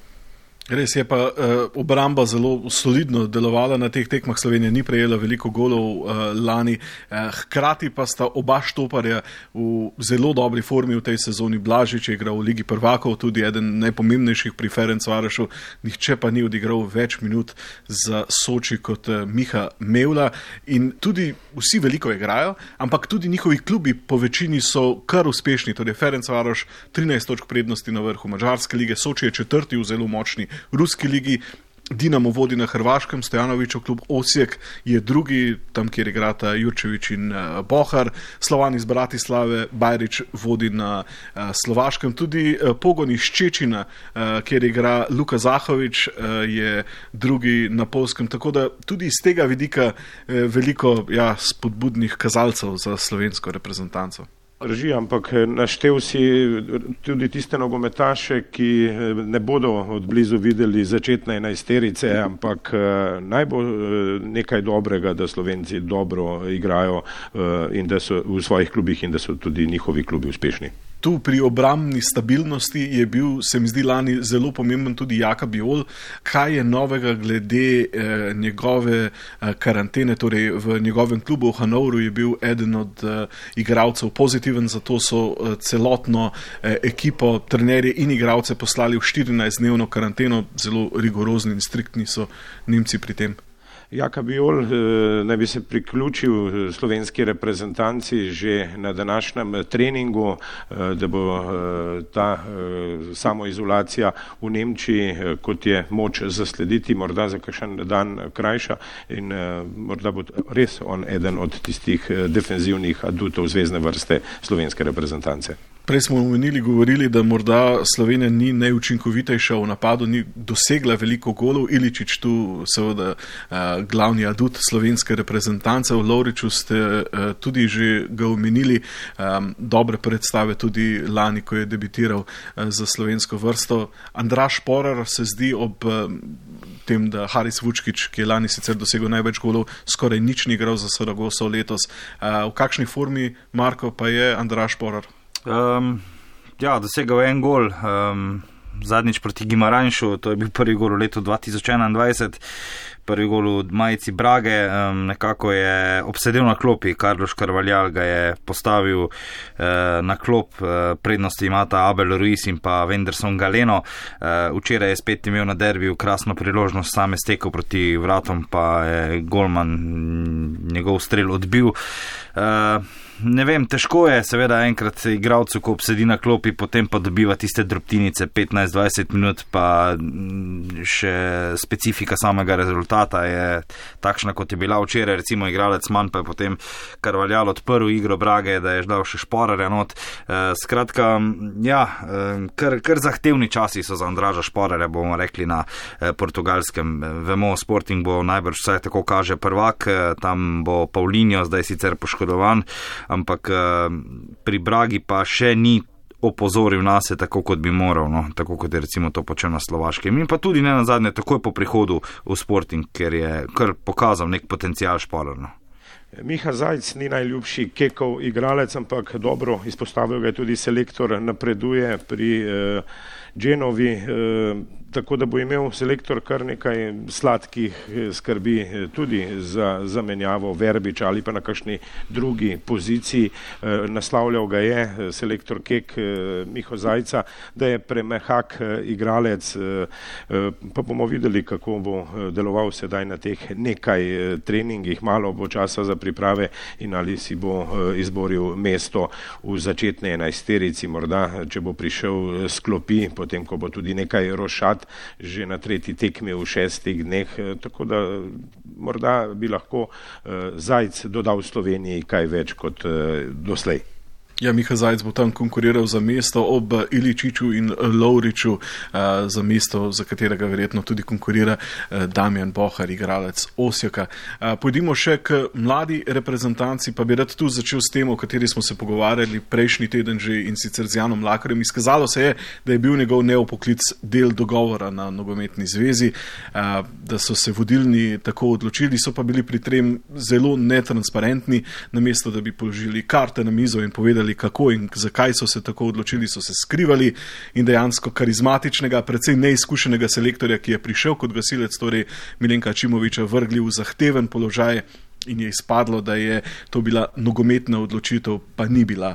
Res je pa uh, obramba zelo solidno delovala na teh tekmah. Slovenija ni prejela veliko golov uh, lani, uh, hkrati pa sta oba štoparja v zelo dobri formi v tej sezoni. Blažič je igral v Ligi prvakov, tudi eden najpomembnejših pri Ferencvarošu, nihče pa ni odigral več minut za Soči kot uh, Miha Mevla in tudi vsi veliko igrajo, ampak tudi njihovi klubi po večini so kar uspešni, torej Ferencvaroš trinajst točk prednosti na vrhu Madžarske lige, Soči je četrti v zelo močni Ruski ligi, Dinamo vodi na Hrvaškem, Stojanovićev klub Osijek je drugi, tam kjer igrata Jurčević in uh, Bohar, Slovan iz Bratislave, Bajrić vodi na uh, Slovaškem, tudi uh, Pogon iz Čečina, uh, kjer igra Luka Zahović, uh, je drugi na Polskem, tako da tudi iz tega vidika uh, veliko ja, spodbudnih kazalcev za slovensko reprezentanco. Drži, ampak naštel si tudi tiste nogometaše, ki ne bodo od blizu videli začetne enajsterice, ampak naj bo nekaj dobrega, da Slovenci dobro igrajo in da so v svojih klubih in da so tudi njihovi klubi uspešni. Tu pri obrambni stabilnosti je bil, se mi zdi, lani zelo pomemben tudi Jaka Bijol. Kaj je novega glede eh, njegove eh, karantene, torej v njegovem klubu v Hanovru je bil eden od eh, igralcev pozitiven, zato so eh, celotno eh, ekipo, trenerje in igralce poslali v štirinajstdnevno karanteno, zelo rigorozni in striktni so Nemci pri tem. Jaka Bijol naj bi se priključil slovenski reprezentanci že na današnjem treningu, da bo ta samoizolacija v Nemčiji, kot je moč zaslediti, morda za kakšen dan krajša in morda bo res on eden od tistih defenzivnih adutov zvezne vrste slovenske reprezentance. Prej smo omenili, govorili, da morda Slovenija ni najučinkovitejša v napadu, ni dosegla veliko golov. Iličić tu seveda uh, glavni adut slovenske reprezentance. V Lovriču ste uh, tudi že ga omenili, um, dobre predstave tudi lani, ko je debitiral uh, za slovensko vrsto. Andraž Šporar se zdi ob uh, tem, da Haris Vučkić, ki je lani sicer dosegel največ golov, skoraj nič ni igral za Saragoso letos. Uh, v kakšni formi, Marko, pa je Andraž Šporar? Um, ja, dosegal je en gol, um, zadnjič proti Gimaranšu, to je bil prvi gol v letu dva tisoč enaindvajset, prvi gol v majici Brage, um, nekako je obsedel na klopi, Carlos Carvalhal ga je postavil uh, na klop, uh, prednosti imata Abel Ruiz in pa Wenderson Galeno, uh, včeraj je spet imel na derbiju krasno priložnost, sam je stekel proti vratom, pa je golman njegov strel odbil. Uh, Ne vem, težko je seveda enkrat igralcu, ko obsedi na klopi, potem pa dobiva tiste drobtinice petnajst dvajset minut, pa še specifika samega rezultata je takšna, kot je bila včeraj, recimo igralec manj, pa je potem Carvalhal odprl igro Brage, da je dal še Šporarja not. Skratka, ja, kar, kar zahtevni časi so za Andraža Šporarja, bomo rekli na portugalskem. Vemo, Sporting bo najbrž vsaj tako kaže prvak, tam bo Paulinho zdaj sicer poškodovan, ampak pri Bragi pa še ni opozoril nase tako, kot bi moral, no? Tako kot je recimo to počel na Slovaškem. In pa tudi ne nazadnje takoj po prihodu v Sporting, ker je kar pokazal nek potencial Šporar. No? Miha Zajc ni najljubši Kekov igralec, ampak dobro izpostavil ga je tudi selektor, napreduje pri eh, Genovi, eh, tako da bo imel selektor kar nekaj sladkih skrbi tudi za zamenjavo Verbiča ali pa na kakšni drugi poziciji. Eh, naslavljal ga je selektor Kek eh, Miho Zajca, da je premehak eh, igralec, eh, pa bomo videli, kako bo deloval sedaj na teh nekaj eh, treningih, malo bo časa za priprave in ali si bo izboril mesto v začetni enajsterici, morda, če bo prišel s klopi, potem, ko bo tudi nekaj rošat že na tretji tekmi v šestih dneh, tako da morda bi lahko Zajc dodal Sloveniji kaj več kot doslej. Ja, Miha Zajc bo tam konkuriral za mesto ob Iličiću in Lovriču, za mesto, za katerega verjetno tudi konkurira Damjan Bohar, igralec Osijeka. Pojdimo še k mladi reprezentanci, pa bi rad tu začel s tem, o kateri smo se pogovarjali prejšnji teden že, in sicer z Janom Mlakarjem. Izkazalo se je, da je bil njegov neopoklic del dogovora na nogometni zvezi, da so se vodilni tako odločili, so pa bili pri tem zelo netransparentni, namesto da bi položili karte na mizo in povedali, kako in zakaj so se tako odločili, so se skrivali in dejansko karizmatičnega, precej neizkušenega selektorja, ki je prišel kot gasilec, torej Milenka Ačimovića, vrgli v zahteven položaj in je izpadlo, da je to bila nogometna odločitev, pa ni bila.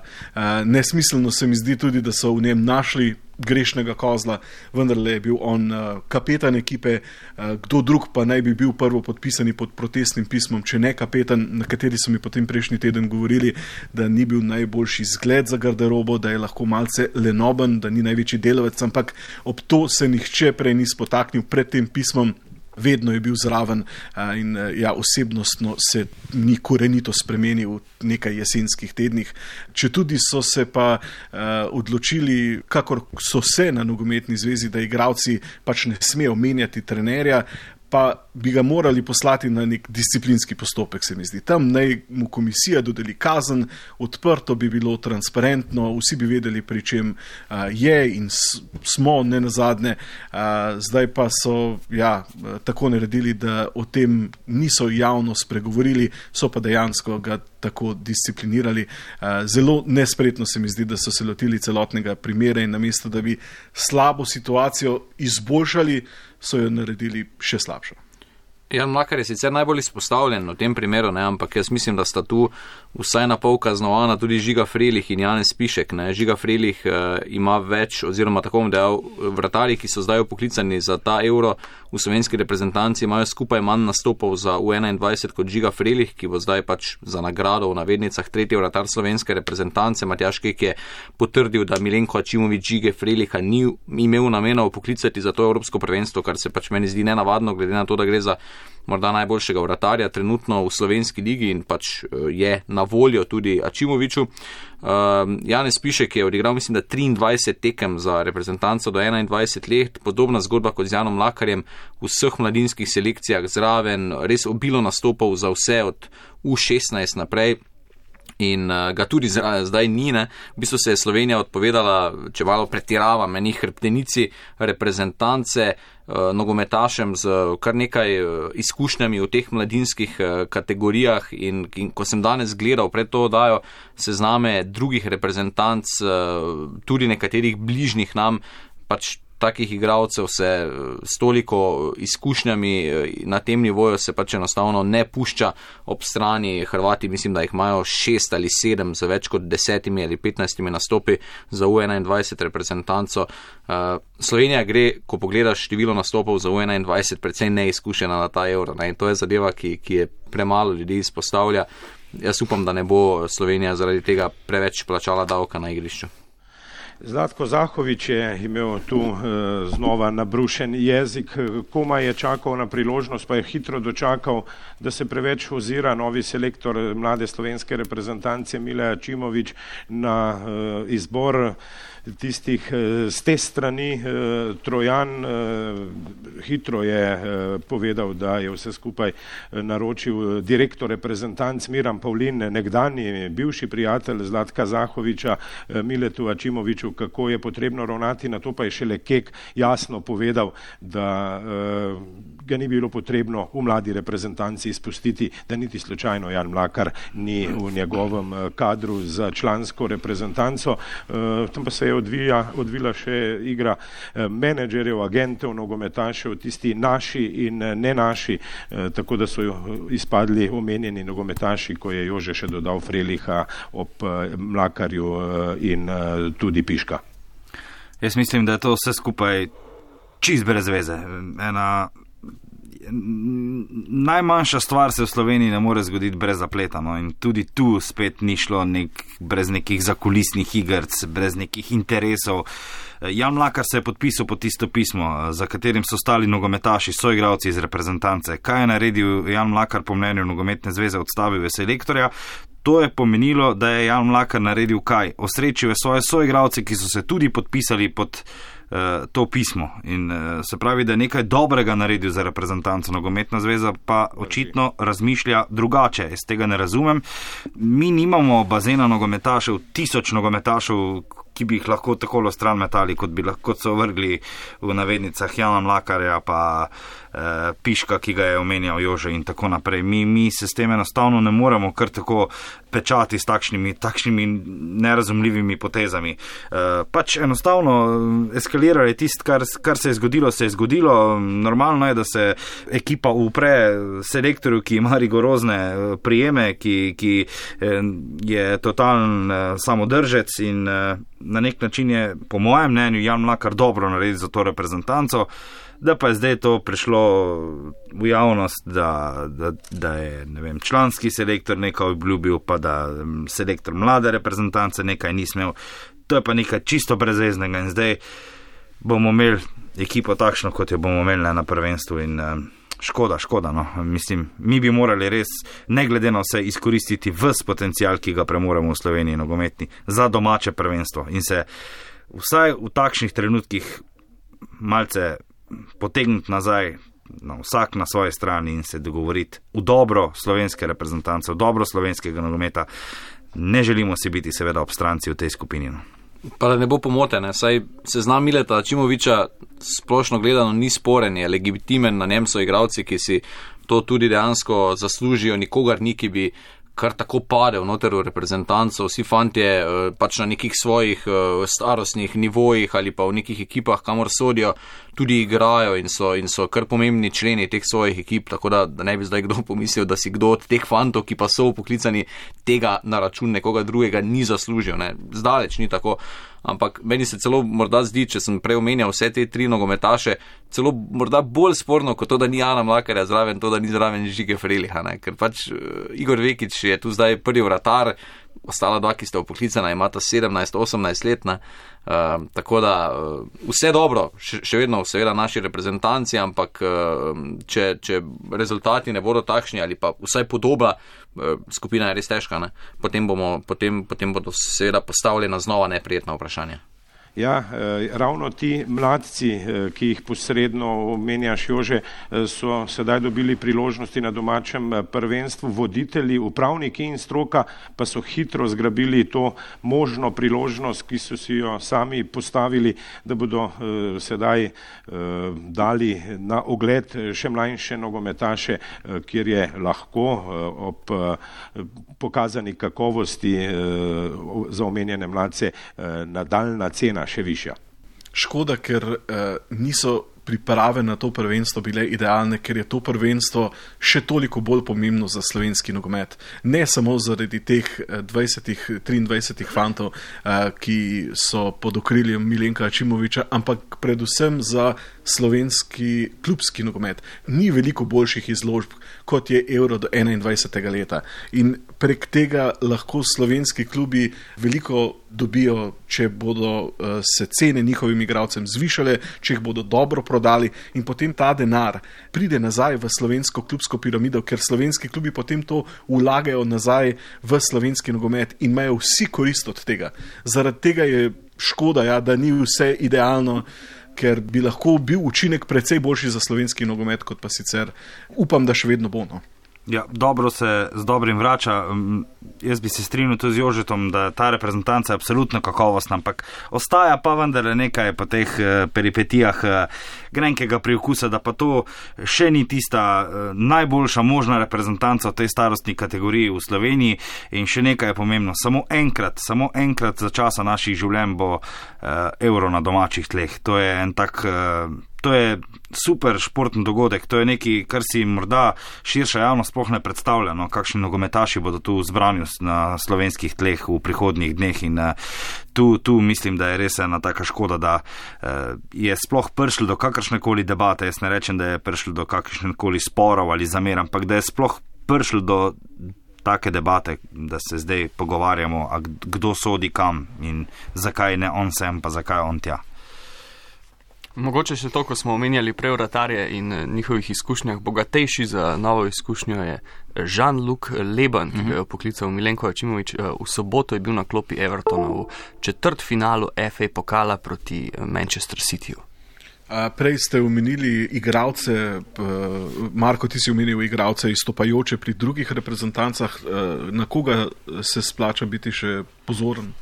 Nesmiselno se mi zdi tudi, da so v njem našli grešnega kozla, vendarle je bil on kapetan ekipe, kdo drug pa naj bi bil prvo podpisani pod protestnim pismom, če ne kapetan, na kateri so mi potem prejšnji teden govorili, da ni bil najboljši zgled za garderobo, da je lahko malce lenoben, da ni največji delavec, ampak ob to se nihče prej ni spotaknil pred tem pismom. Vedno je bil zraven in ja, osebnostno se ni korenito spremenil v nekaj jesenskih tednih. Če tudi so se pa uh, odločili, kakor so se na nogometni zvezi, da igralci pač ne smejo menjati trenerja, pa bi ga morali poslati na nek disciplinski postopek, se mi zdi. Tam naj mu komisija dodeli kazen, odprto bi bilo, transparentno, vsi bi vedeli, pri čem uh, je in s, smo ne nazadnje. Uh, zdaj pa so ja, tako naredili, da o tem niso javno spregovorili, so pa dejansko ga tako disciplinirali. Uh, zelo nespretno se mi zdi, da so se lotili celotnega primera in namesto, da bi slabo situacijo izboljšali, so jo naredili še slabšo. Jan Mlakar je sicer najbolj izpostavljen v tem primeru, ne, ampak jaz mislim, da sta tu vsaj na pol kaznovana tudi Žiga Frelih in Janez Pišek. Ne. Žiga Frelih uh, ima več, oziroma tako bom dejal, vratarji, ki so zdaj upoklicani za ta euro v slovenski reprezentanci, imajo skupaj manj nastopov za U enaindvajset kot Žiga Frelih, ki bo zdaj pač za nagrado v navednicah tretji vratar slovenske reprezentance. Matjaž Kek je potrdil, da Milenko Ačimović Žige Freliha ni imel namena upoklicati za to evropsko prvenstvo, kar se pač meni zdi nenavadno, glede na to, da gre za morda najboljšega vratarja trenutno v slovenski ligi in pač je na voljo tudi Ačimoviću. Uh, Janez Pišek je odigral, mislim, da triindvajset tekem za reprezentanco do enaindvajset let, podobna zgodba kot z Janom Mlakarjem, v vseh mladinskih selekcijah zraven, res obilo nastopov za vse od U šestnajst naprej. In uh, ga tudi zdaj ni, ne. V bistvu se je Slovenija odpovedala, če malo pretiravam, enih hrbtenici reprezentance, uh, nogometašem z kar nekaj uh, izkušnjami v teh mladinskih uh, kategorijah in, in ko sem danes gledal pred to oddajo sezname drugih reprezentanc, uh, tudi nekaterih bližnjih nam, pač takih igralcev se s toliko izkušnjami na tem nivoju se pač enostavno ne pušča ob strani. Hrvati mislim, da jih imajo šest ali sedem za več kot desetimi ali petnajstimi nastopi za U enaindvajset reprezentanco. Slovenija gre, ko pogledaš število nastopov za U enaindvajset, precej neizkušena na ta euro. Ne? In to je zadeva, ki, ki je premalo ljudi izpostavlja. Jaz upam, da ne bo Slovenija zaradi tega preveč plačala davka na igrišču. Zlatko Zahović je imel tu e, znova nabrušen jezik, komaj je čakal na priložnost, pa je hitro dočakal, da se preveč ozira novi selektor mlade slovenske reprezentance Mile Ačimović na e, izbor tistih z te strani. Trojan hitro je povedal, da je vse skupaj naročil direktor reprezentanc Miran Pavlin, nekdanji bivši prijatelj Zlatka Zahovića, Miletu Ačimoviću, kako je potrebno ravnati, na to pa je šele Kek jasno povedal, da ga ni bilo potrebno v mladi reprezentanci izpustiti, da niti slučajno Jan Mlakar ni v njegovem kadru za člansko reprezentanco. Tam pa se je odvija, odvila še igra menedžerjev, agentov, nogometašev, tisti naši in ne naši, tako da so izpadli omenjeni nogometaši, ko je Jože še dodal Freliha ob Mlakarju in tudi Piška. Jaz mislim, da je to vse skupaj čist brez veze. Ena najmanjša stvar se v Sloveniji ne more zgoditi brez zapleta, no, in tudi tu spet ni šlo nek, brez nekih zakulisnih igrc, brez nekih interesov. Jan Mlakar se je podpisal pod tisto pismo, za katerim so stali nogometaši, soigralci iz reprezentance. Kaj je naredil Jan Mlakar po mnenju nogometne zveze? Odstavil je selektorja. To je pomenilo, da je Jan Mlakar naredil kaj? Osrečil je svoje soigralce, ki so se tudi podpisali pod uh, to pismo. In uh, se pravi, da je nekaj dobrega naredil za reprezentanco. Nogometna zveza pa očitno razmišlja drugače. Jaz tega ne razumem. Mi nimamo bazena nogometašev, tisoč nogometašev, ki bi jih lahko takolo stran metali, kot bi lahko so vrgli v navednicah Jana Mlakarja, pa eh, Piška, ki ga je omenjal Jože in tako naprej. Mi, mi se s tem enostavno ne moremo kar tako pečati s takšnimi, takšnimi nerazumljivimi potezami. Eh, pač enostavno eskalirali tist, kar, kar se je zgodilo, se je zgodilo. Normalno je, da se ekipa upre selektorju, ki ima rigorozne prijeme, ki, ki eh, je totalen eh, samodržec in eh, na nek način je, po mojem mnenju, Jan Mlakar dobro naredil za to reprezentanco, da pa je zdaj to prišlo v javnost, da, da, da je, ne vem, članski selektor nekaj obljubil, pa da selektor mlade reprezentance nekaj ni smel. To je pa nekaj čisto brezveznega in zdaj bomo imeli ekipo takšno, kot jo bomo imeli na prvenstvu in škoda, škoda, no. Mislim, mi bi morali res, ne glede na vse, izkoristiti ves potencial, ki ga premoremo v Sloveniji nogometni, za domače prvenstvo in se vsaj v takšnih trenutkih malce potegniti nazaj, no, vsak na svoji strani in se dogovoriti v dobro slovenske reprezentance, v dobro slovenskega nogometa. Ne želimo si biti seveda obstranci v tej skupini. No. Pa da ne bo pomotene, saj seznam Mileta Ačimovića splošno gledano ni sporen, je legitimen, na njem so igralci, ki si to tudi dejansko zaslužijo, nikogar ni, ki bi kar tako padel noter v reprezentanco, vsi fantje pač na nekih svojih starostnih nivojih ali pa v nekih ekipah, kamor sodijo, tudi igrajo in so, in so kar pomembni členi teh svojih ekip, tako da, da ne bi zdaj kdo pomislil, da si kdo od teh fantov, ki pa so poklicani, tega na račun nekoga drugega ni zaslužil, ne, zdaleč ni tako. Ampak meni se celo morda zdi, če sem prej omenjal vse te tri nogometaše, celo morda bolj sporno kot to, da ni Jana Mlakarja zraven, to, da ni zraven Žige Freliha, ne? Ker pač uh, Igor Vekić je tu zdaj prvi vratar, ostala dva, ki sta upoklicana, imata sedemnajst osemnajst let, ne? Uh, tako da uh, vse dobro, še, še vedno seveda naši reprezentanci, ampak uh, če, če rezultati ne bodo takšni ali pa vsaj podoba, uh, skupina je res težka, ne? Potem, bomo, potem, potem bodo seveda postavljena znova neprijetna vprašanja. Ja, ravno ti mladci, ki jih posredno omenjaš, Jože, so sedaj dobili priložnosti na domačem prvenstvu, voditelji, upravniki in stroka pa so hitro zgrabili to možno priložnost, ki so si jo sami postavili, da bodo sedaj dali na ogled še mlajše nogometaše, kjer je lahko ob pokazani kakovosti za omenjene mladce nadaljna cena še višja. Škoda, ker eh, niso priprave na to prvenstvo bile idealne, ker je to prvenstvo še toliko bolj pomembno za slovenski nogomet. Ne samo zaradi teh dvajset triindvajset fantov, eh, ki so pod okriljem Milenka Ačimovića, ampak predvsem za slovenski klubski nogomet. Ni veliko boljših izložb, kot je Euro do enaindvajsetega leta. In prek tega lahko slovenski klubi veliko dobijo, če bodo uh, se cene njihovim igralcem zvišale, če jih bodo dobro prodali in potem ta denar pride nazaj v slovensko klubsko piramido, ker slovenski klubi potem to vlagajo nazaj v slovenski nogomet in imajo vsi korist od tega. Zaradi tega je škoda, ja, da ni vse idealno, ker bi lahko bil učinek precej boljši za slovenski nogomet, kot pa sicer upam, da še vedno bo. No. Ja, dobro se z dobrim vrača. Jaz bi se strinjal tudi z Jožetom, da ta reprezentanca je absolutno kakovostna, ampak ostaja pa vendar nekaj po teh peripetijah grenkega priokusa, da pa to še ni tista najboljša možna reprezentanca v tej starostni kategoriji v Sloveniji in še nekaj je pomembno. Samo enkrat, samo enkrat za časa naših življenj bo Euro na domačih tleh. To je en tak... To je super športni dogodek, to je nekaj, kar si morda širša javnost sploh ne predstavlja, no, kakšni nogometaši bodo tu zbrani na slovenskih tleh v prihodnjih dneh in uh, tu, tu mislim, da je res ena taka škoda, da uh, je sploh prišlo do kakršnekoli debate. Jaz ne rečem, da je prišlo do kakršnekoli sporov ali zamer, ampak da je sploh prišlo do take debate, da se zdaj pogovarjamo, a kdo sodi kam in zakaj ne on sem, pa zakaj on tja. Mogoče še to, ko smo omenjali prej vratarje in njihovih izkušnjah, bogatejši za novo izkušnjo je Jean-Luc Leban, ki ga je poklical Milenko Ačimović. V soboto je bil na klopi Evertona v četrtfinalu F A pokala proti Manchester Cityju. Prej ste omenili igralce, Marko, ti si omenil igralce izstopajoče pri drugih reprezentancah. Na koga se splača biti še pozoren?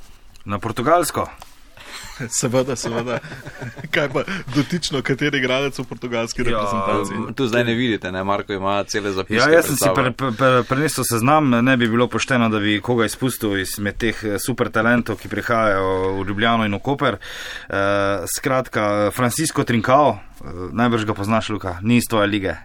Na Portugalsko. Seveda, seveda. Kaj pa dotično, kateri igralec v portugalski reprezentanci? Ja, tu zdaj ne vidite, ne? Marko ima cele zapiske. Ja, jaz sem si pre, pre, prenesel seznam, ne bi bilo pošteno, da bi koga izpustil izmed teh super talentov, ki prihajajo v Ljubljano in v Koper. Uh, skratka, Francisco Trincao, uh, najbrž ga poznaš, Luka, ni iz tvoje lige.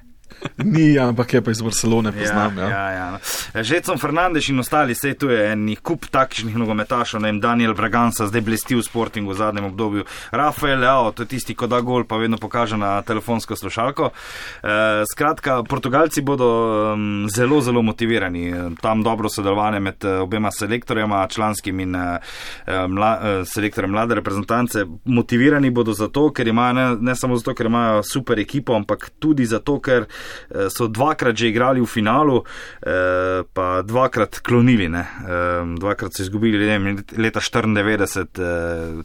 Ni, ampak je pa iz Barcelone, poznam. Ja, ja, ja. Žetson Fernandes in ostali, sej tu je en kup takšnih nogometašov, ne vem, Daniel Braganca, zdaj blesti v Sportingu v zadnjem obdobju. Rafael Leao, to je tisti, ko da gol, pa vedno pokaže na telefonsko slušalko. E, skratka, Portugalci bodo um, zelo, zelo motivirani. Tam dobro sodelovanje med obema selektorjema, članskim in uh, mla, uh, selektorjem mlade reprezentance. Motivirani bodo zato, ker imajo, ne, ne samo zato, ker imajo super ekipo, ampak tudi zato, ker so dvakrat že igrali v finalu, pa dvakrat klonili, ne. Dvakrat so izgubili leta štiriindevetdeset,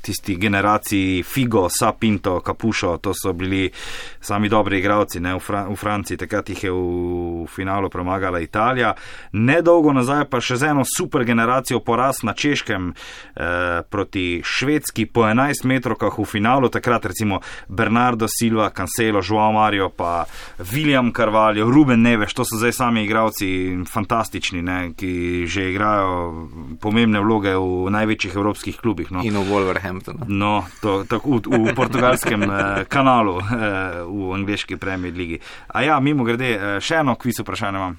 tisti generaciji Figo, Sapinto, Capušo, to so bili sami dobri igralci, ne, v, Fra- v Franciji, takrat jih je v finalu premagala Italija. Nedolgo nazaj pa še z eno super generacijo poraz na Češkem proti Švedski po enajst metrovkah v finalu, takrat recimo Bernardo Silva, Cancelo, Joao Mario, pa William Carvalho, Ruben Neves, to so zdaj sami igralci fantastični, ne, ki že igrajo pomembne vloge v največjih evropskih klubih. No. In v Wolverhamptonu. No, to, to, v, v portugalskem eh, kanalu, eh, v angleški Premier ligi. A ja, mimo grede, eh, še eno kviz vprašanje imam.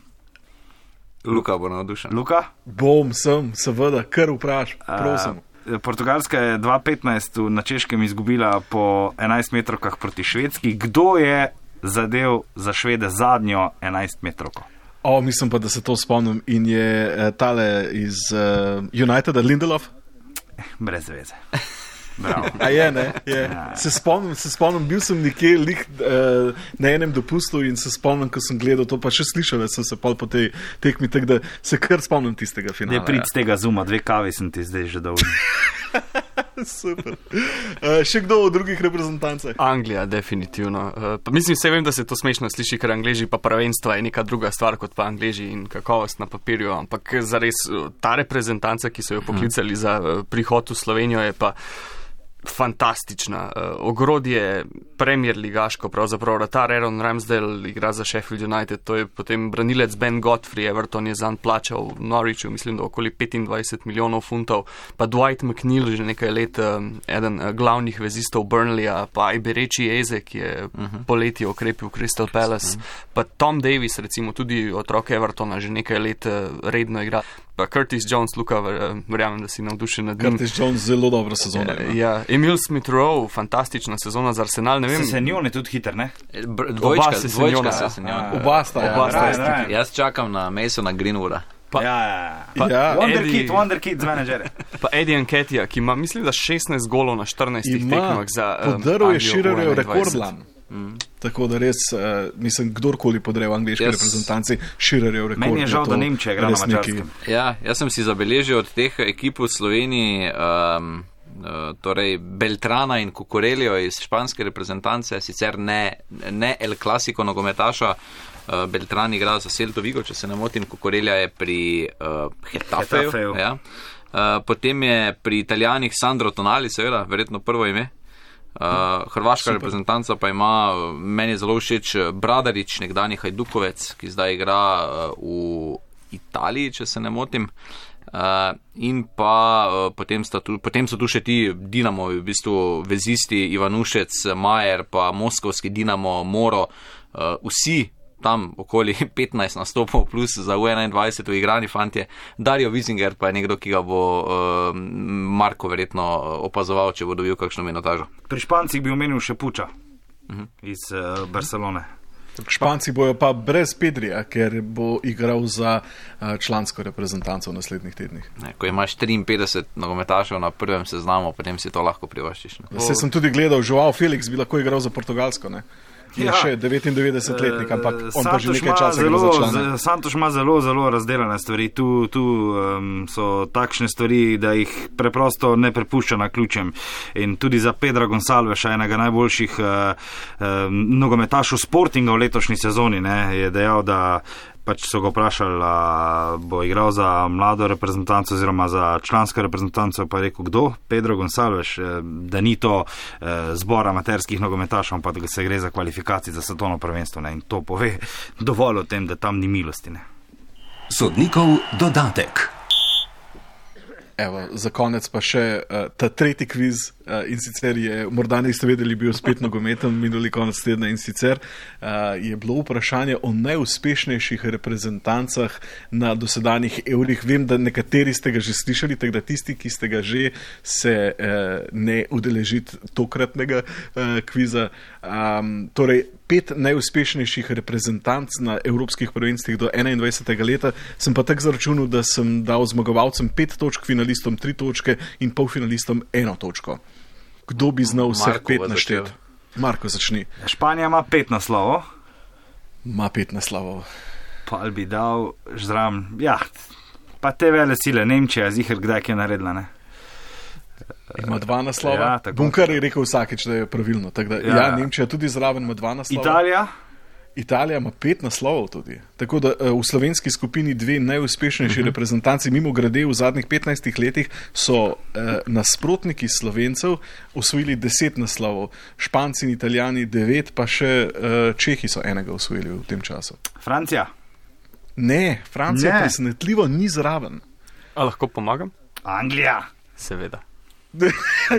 Luka bo navdušen. Luka? Bom, sem, seveda, kar vpraš, prosim. Uh, Portugalska je dva tisoč petnajst na Češkem izgubila po enajst metrovkah proti Švedski. Kdo je zadev za Švede zadnjo enajst metrovko? O, mislim pa, da se to spomnim. In je uh, tale iz uh, Uniteda, Lindelof? Brez veze. Bravo. A je, ne? Je. Ja. Se spomnim, se spomnim, bil sem nekje lih, uh, na enem dopustu in se spomnim, ko sem gledal to, pa še slišal sem se pol po tej tekmi, tako da se kar spomnim tistega finala. Ne prid z tega Zuma, dve kavi sem ti zdaj že dolžen. Super. Uh, še kdo v drugih reprezentancah? Anglija, definitivno. Uh, pa mislim, vse vem, da se to smešno sliši, ker Angleži pa prvenstva je neka druga stvar kot pa Angleži in kakovost na papirju, ampak zares ta reprezentanca, ki so jo poklicali hmm. za uh, prihod v Slovenijo, je pa fantastična. Uh, ogrodje Premier ligaško, pravzaprav vratar Aaron Ramsdale igra za Sheffield United, to je potem branilec Ben Godfrey, Everton je zanj plačal v Norwichu, mislim, da okoli petindvajset milijonov funtov, pa Dwight McNeil že nekaj let, um, eden uh, glavnih vezistov Burnleya, pa Iberechi Eze, ki je uh-huh. poleti okrepil Crystal Palace, uh-huh. pa Tom Davis, recimo tudi otrok Evertona, že nekaj let uh, redno igra. Pa Curtis Jones, Luka, verjamem, da si navdušen nad njim. Curtis Jones, zelo dobra sezona. Ja, ja. Emil Smith-Rowe, fantastična sezona za Arsenal, ne vem. Senjon je tudi hiter, ne? Dvojčka, se dvojčka se Senjon. Oba sta, ja. Oba sta, ja. Jaz čakam na Masona Greenwooda. Pa, ja, ja, pa ja. Wonder Eddie, Kid, Wonder Kid z menedžere. Pa Eddie Nketiah, ki ima, mislim, da šestnajst golov na štirinajstih tekmah za um, podrl je Shearerjev rekordlan. Mm. Tako da res, uh, mislim, kdorkoli podre v angliški yes. reprezentanci, Shearerjev rekord. Meni je žal, da Nemčija igra na Mačarskem. Ja, jaz sem si zabeležil od teh ekip v Sloveniji, um, uh, torej Beltrana in Cucurellijo iz španske reprezentance, sicer ne, ne El Clasico nogometaša. Uh, Beltran igra za Celto Vigo, če se ne motim, Cucurella je pri uh, Getafeju. Ja. Uh, potem je pri Italijanih Sandro Tonali, seveda, verjetno prvo ime. Uh, Hrvaška Super. Reprezentanca pa ima, meni je zelo všeč Bradarič, nekdanji Hajdukovec, ki zdaj igra uh, v Italiji, če se ne motim. Uh, in pa uh, potem, tu, potem so tu še ti Dinamo, v bistvu vezisti Ivanušec, Majer, pa moskovski Dinamo, Moro, uh, vsi tam okoli petnajst nastopov plus za U enaindvajset igrani fantje. Dario Wiesinger pa je nekdo, ki ga bo uh, Marko verjetno opazoval, če bo dobil kakšno minutažo. Pri Špancih bi omenil še Puča uh-huh. iz uh, Barcelone. Španci bojo pa brez Pedrija, ker bo igral za člansko reprezentanco v naslednjih tednih. Ne, ko imaš triinpetdeset nogometašev na prvem seznamu, potem si to lahko privoščiš. Se sem tudi gledal, Joao Felix bi lahko igral za Portugalsko, ne? Je ja. še devetindevetdesetletnik, ampak on pa že nekaj časa zelo, za člane. Santoš ima zelo, zelo razdeljene stvari. Tu, tu um, so takšne stvari, da jih preprosto ne prepušča na ključem. In tudi za Pedra Gonsalveša, enega najboljših uh, uh, nogometašov Sportinga v letošnji sezoni, ne, je dejal, da pač so ga vprašali, da bo igral za mlado reprezentanco oziroma za člansko reprezentanco, pa je rekel, kdo? Pedro Gonsalves, da ni to zbor amaterskih nogometašov, ampak da se gre za kvalifikacije za svetovno prvenstvo. Ne? In to pove dovolj o tem, da tam ni milosti. Ne? Sodnikov dodatek. Evo, za konec pa še uh, ta tretji kviz uh, in sicer je, morda niste vedeli, bil spet nogometen minuli konec tedna in sicer uh, je bilo vprašanje o najuspešnejših reprezentancah na dosedanjih evrih. Vem, da nekateri ste ga že slišali, tako da tisti, ki ste ga že, se uh, ne udeležiti tokratnega uh, kviza. Um, torej, pet najuspešnejših reprezentanc na evropskih prvenstvih do enaindvajsetega leta, sem pa tak zaračunal, da sem dal zmagovalcem pet točk, finalistom tri točke in polfinalistom eno točko. Kdo bi znal vseh Marko pet našteti? Marko, začni. Španija ima pet naslovov. Ma pet naslovov. Pa bi dal žram, ja, pa te vele sile, Nemčija, ziher kdaj je naredila, ne? Ima dva naslova. Ja, tako. Bunkar je rekel vsakeč, da je pravilno. Da, ja, ja, Nemčija tudi zraven ima dva naslova. Italija? Italija ima pet naslovov tudi. Tako da v slovenski skupini dve najuspešnejši uh-huh. reprezentanci, mimo grede v zadnjih petnajstih letih, so eh, nasprotniki Slovencev osvojili deset naslovov. Španci in Italijani devet, pa še eh, Čehi so enega osvojili v tem času. Francija? Ne, Francija Ne. presenetljivo ni zraven. A lahko pomagam? Anglija? Seveda.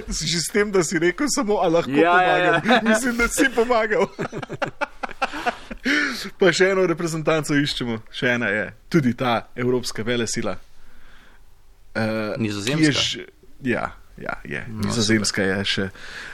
Že s tem, da si rekel samo, a lahko Ja, pomagam. ja, ja. Mislim, da si pomagal. Pa še eno reprezentanco iščemo. Še ena je tudi ta evropska velesila. Uh, Nizozemska? Ja, ja, je. Nizozemska je še,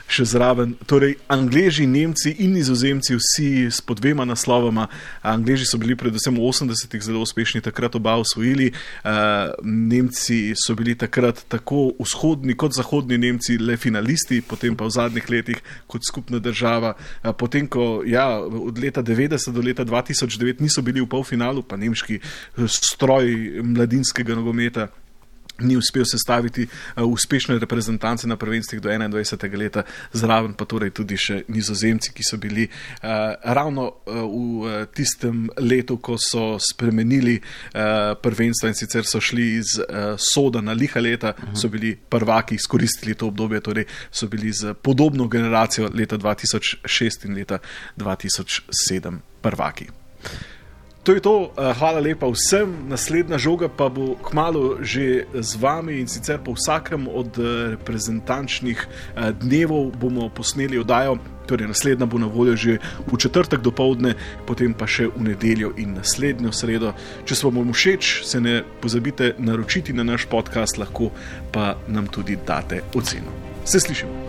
še zraven. Torej, Angleži, Nemci in Nizozemci vsi s po dvema naslovama. Angleži so bili predvsem v osemdesetih zelo uspešni, takrat oba osvojili. Uh, Nemci so bili takrat tako vzhodni kot zahodni Nemci le finalisti, potem pa v zadnjih letih kot skupna država. Uh, potem, ko ja, od leta devetdeset do leta dva tisoč devet niso bili v polfinalu, pa nemški stroj mladinskega nogometa ni uspel sestaviti uh, uspešne reprezentance na prvenstvih do enaindvajsetega leta, zraven pa torej tudi še Nizozemci, ki so bili uh, ravno uh, v uh, tistem letu, ko so spremenili uh, prvenstva in sicer so šli iz uh, soda na liha leta, uh-huh. so bili prvaki, izkoristili to obdobje, torej so bili z podobno generacijo leta dva tisoč šest in leta dva tisoč sedem prvaki. To je to, hvala lepa vsem, naslednja žoga pa bo kmalu že z vami in sicer po vsakem od reprezentančnih dnevov bomo posneli oddajo, torej naslednja bo na voljo že v četrtek dopoldne, potem pa še v nedeljo in naslednjo sredo. Če se vam všeč, se ne pozabite naročiti na naš podcast, lahko pa nam tudi date oceno. Se slišimo.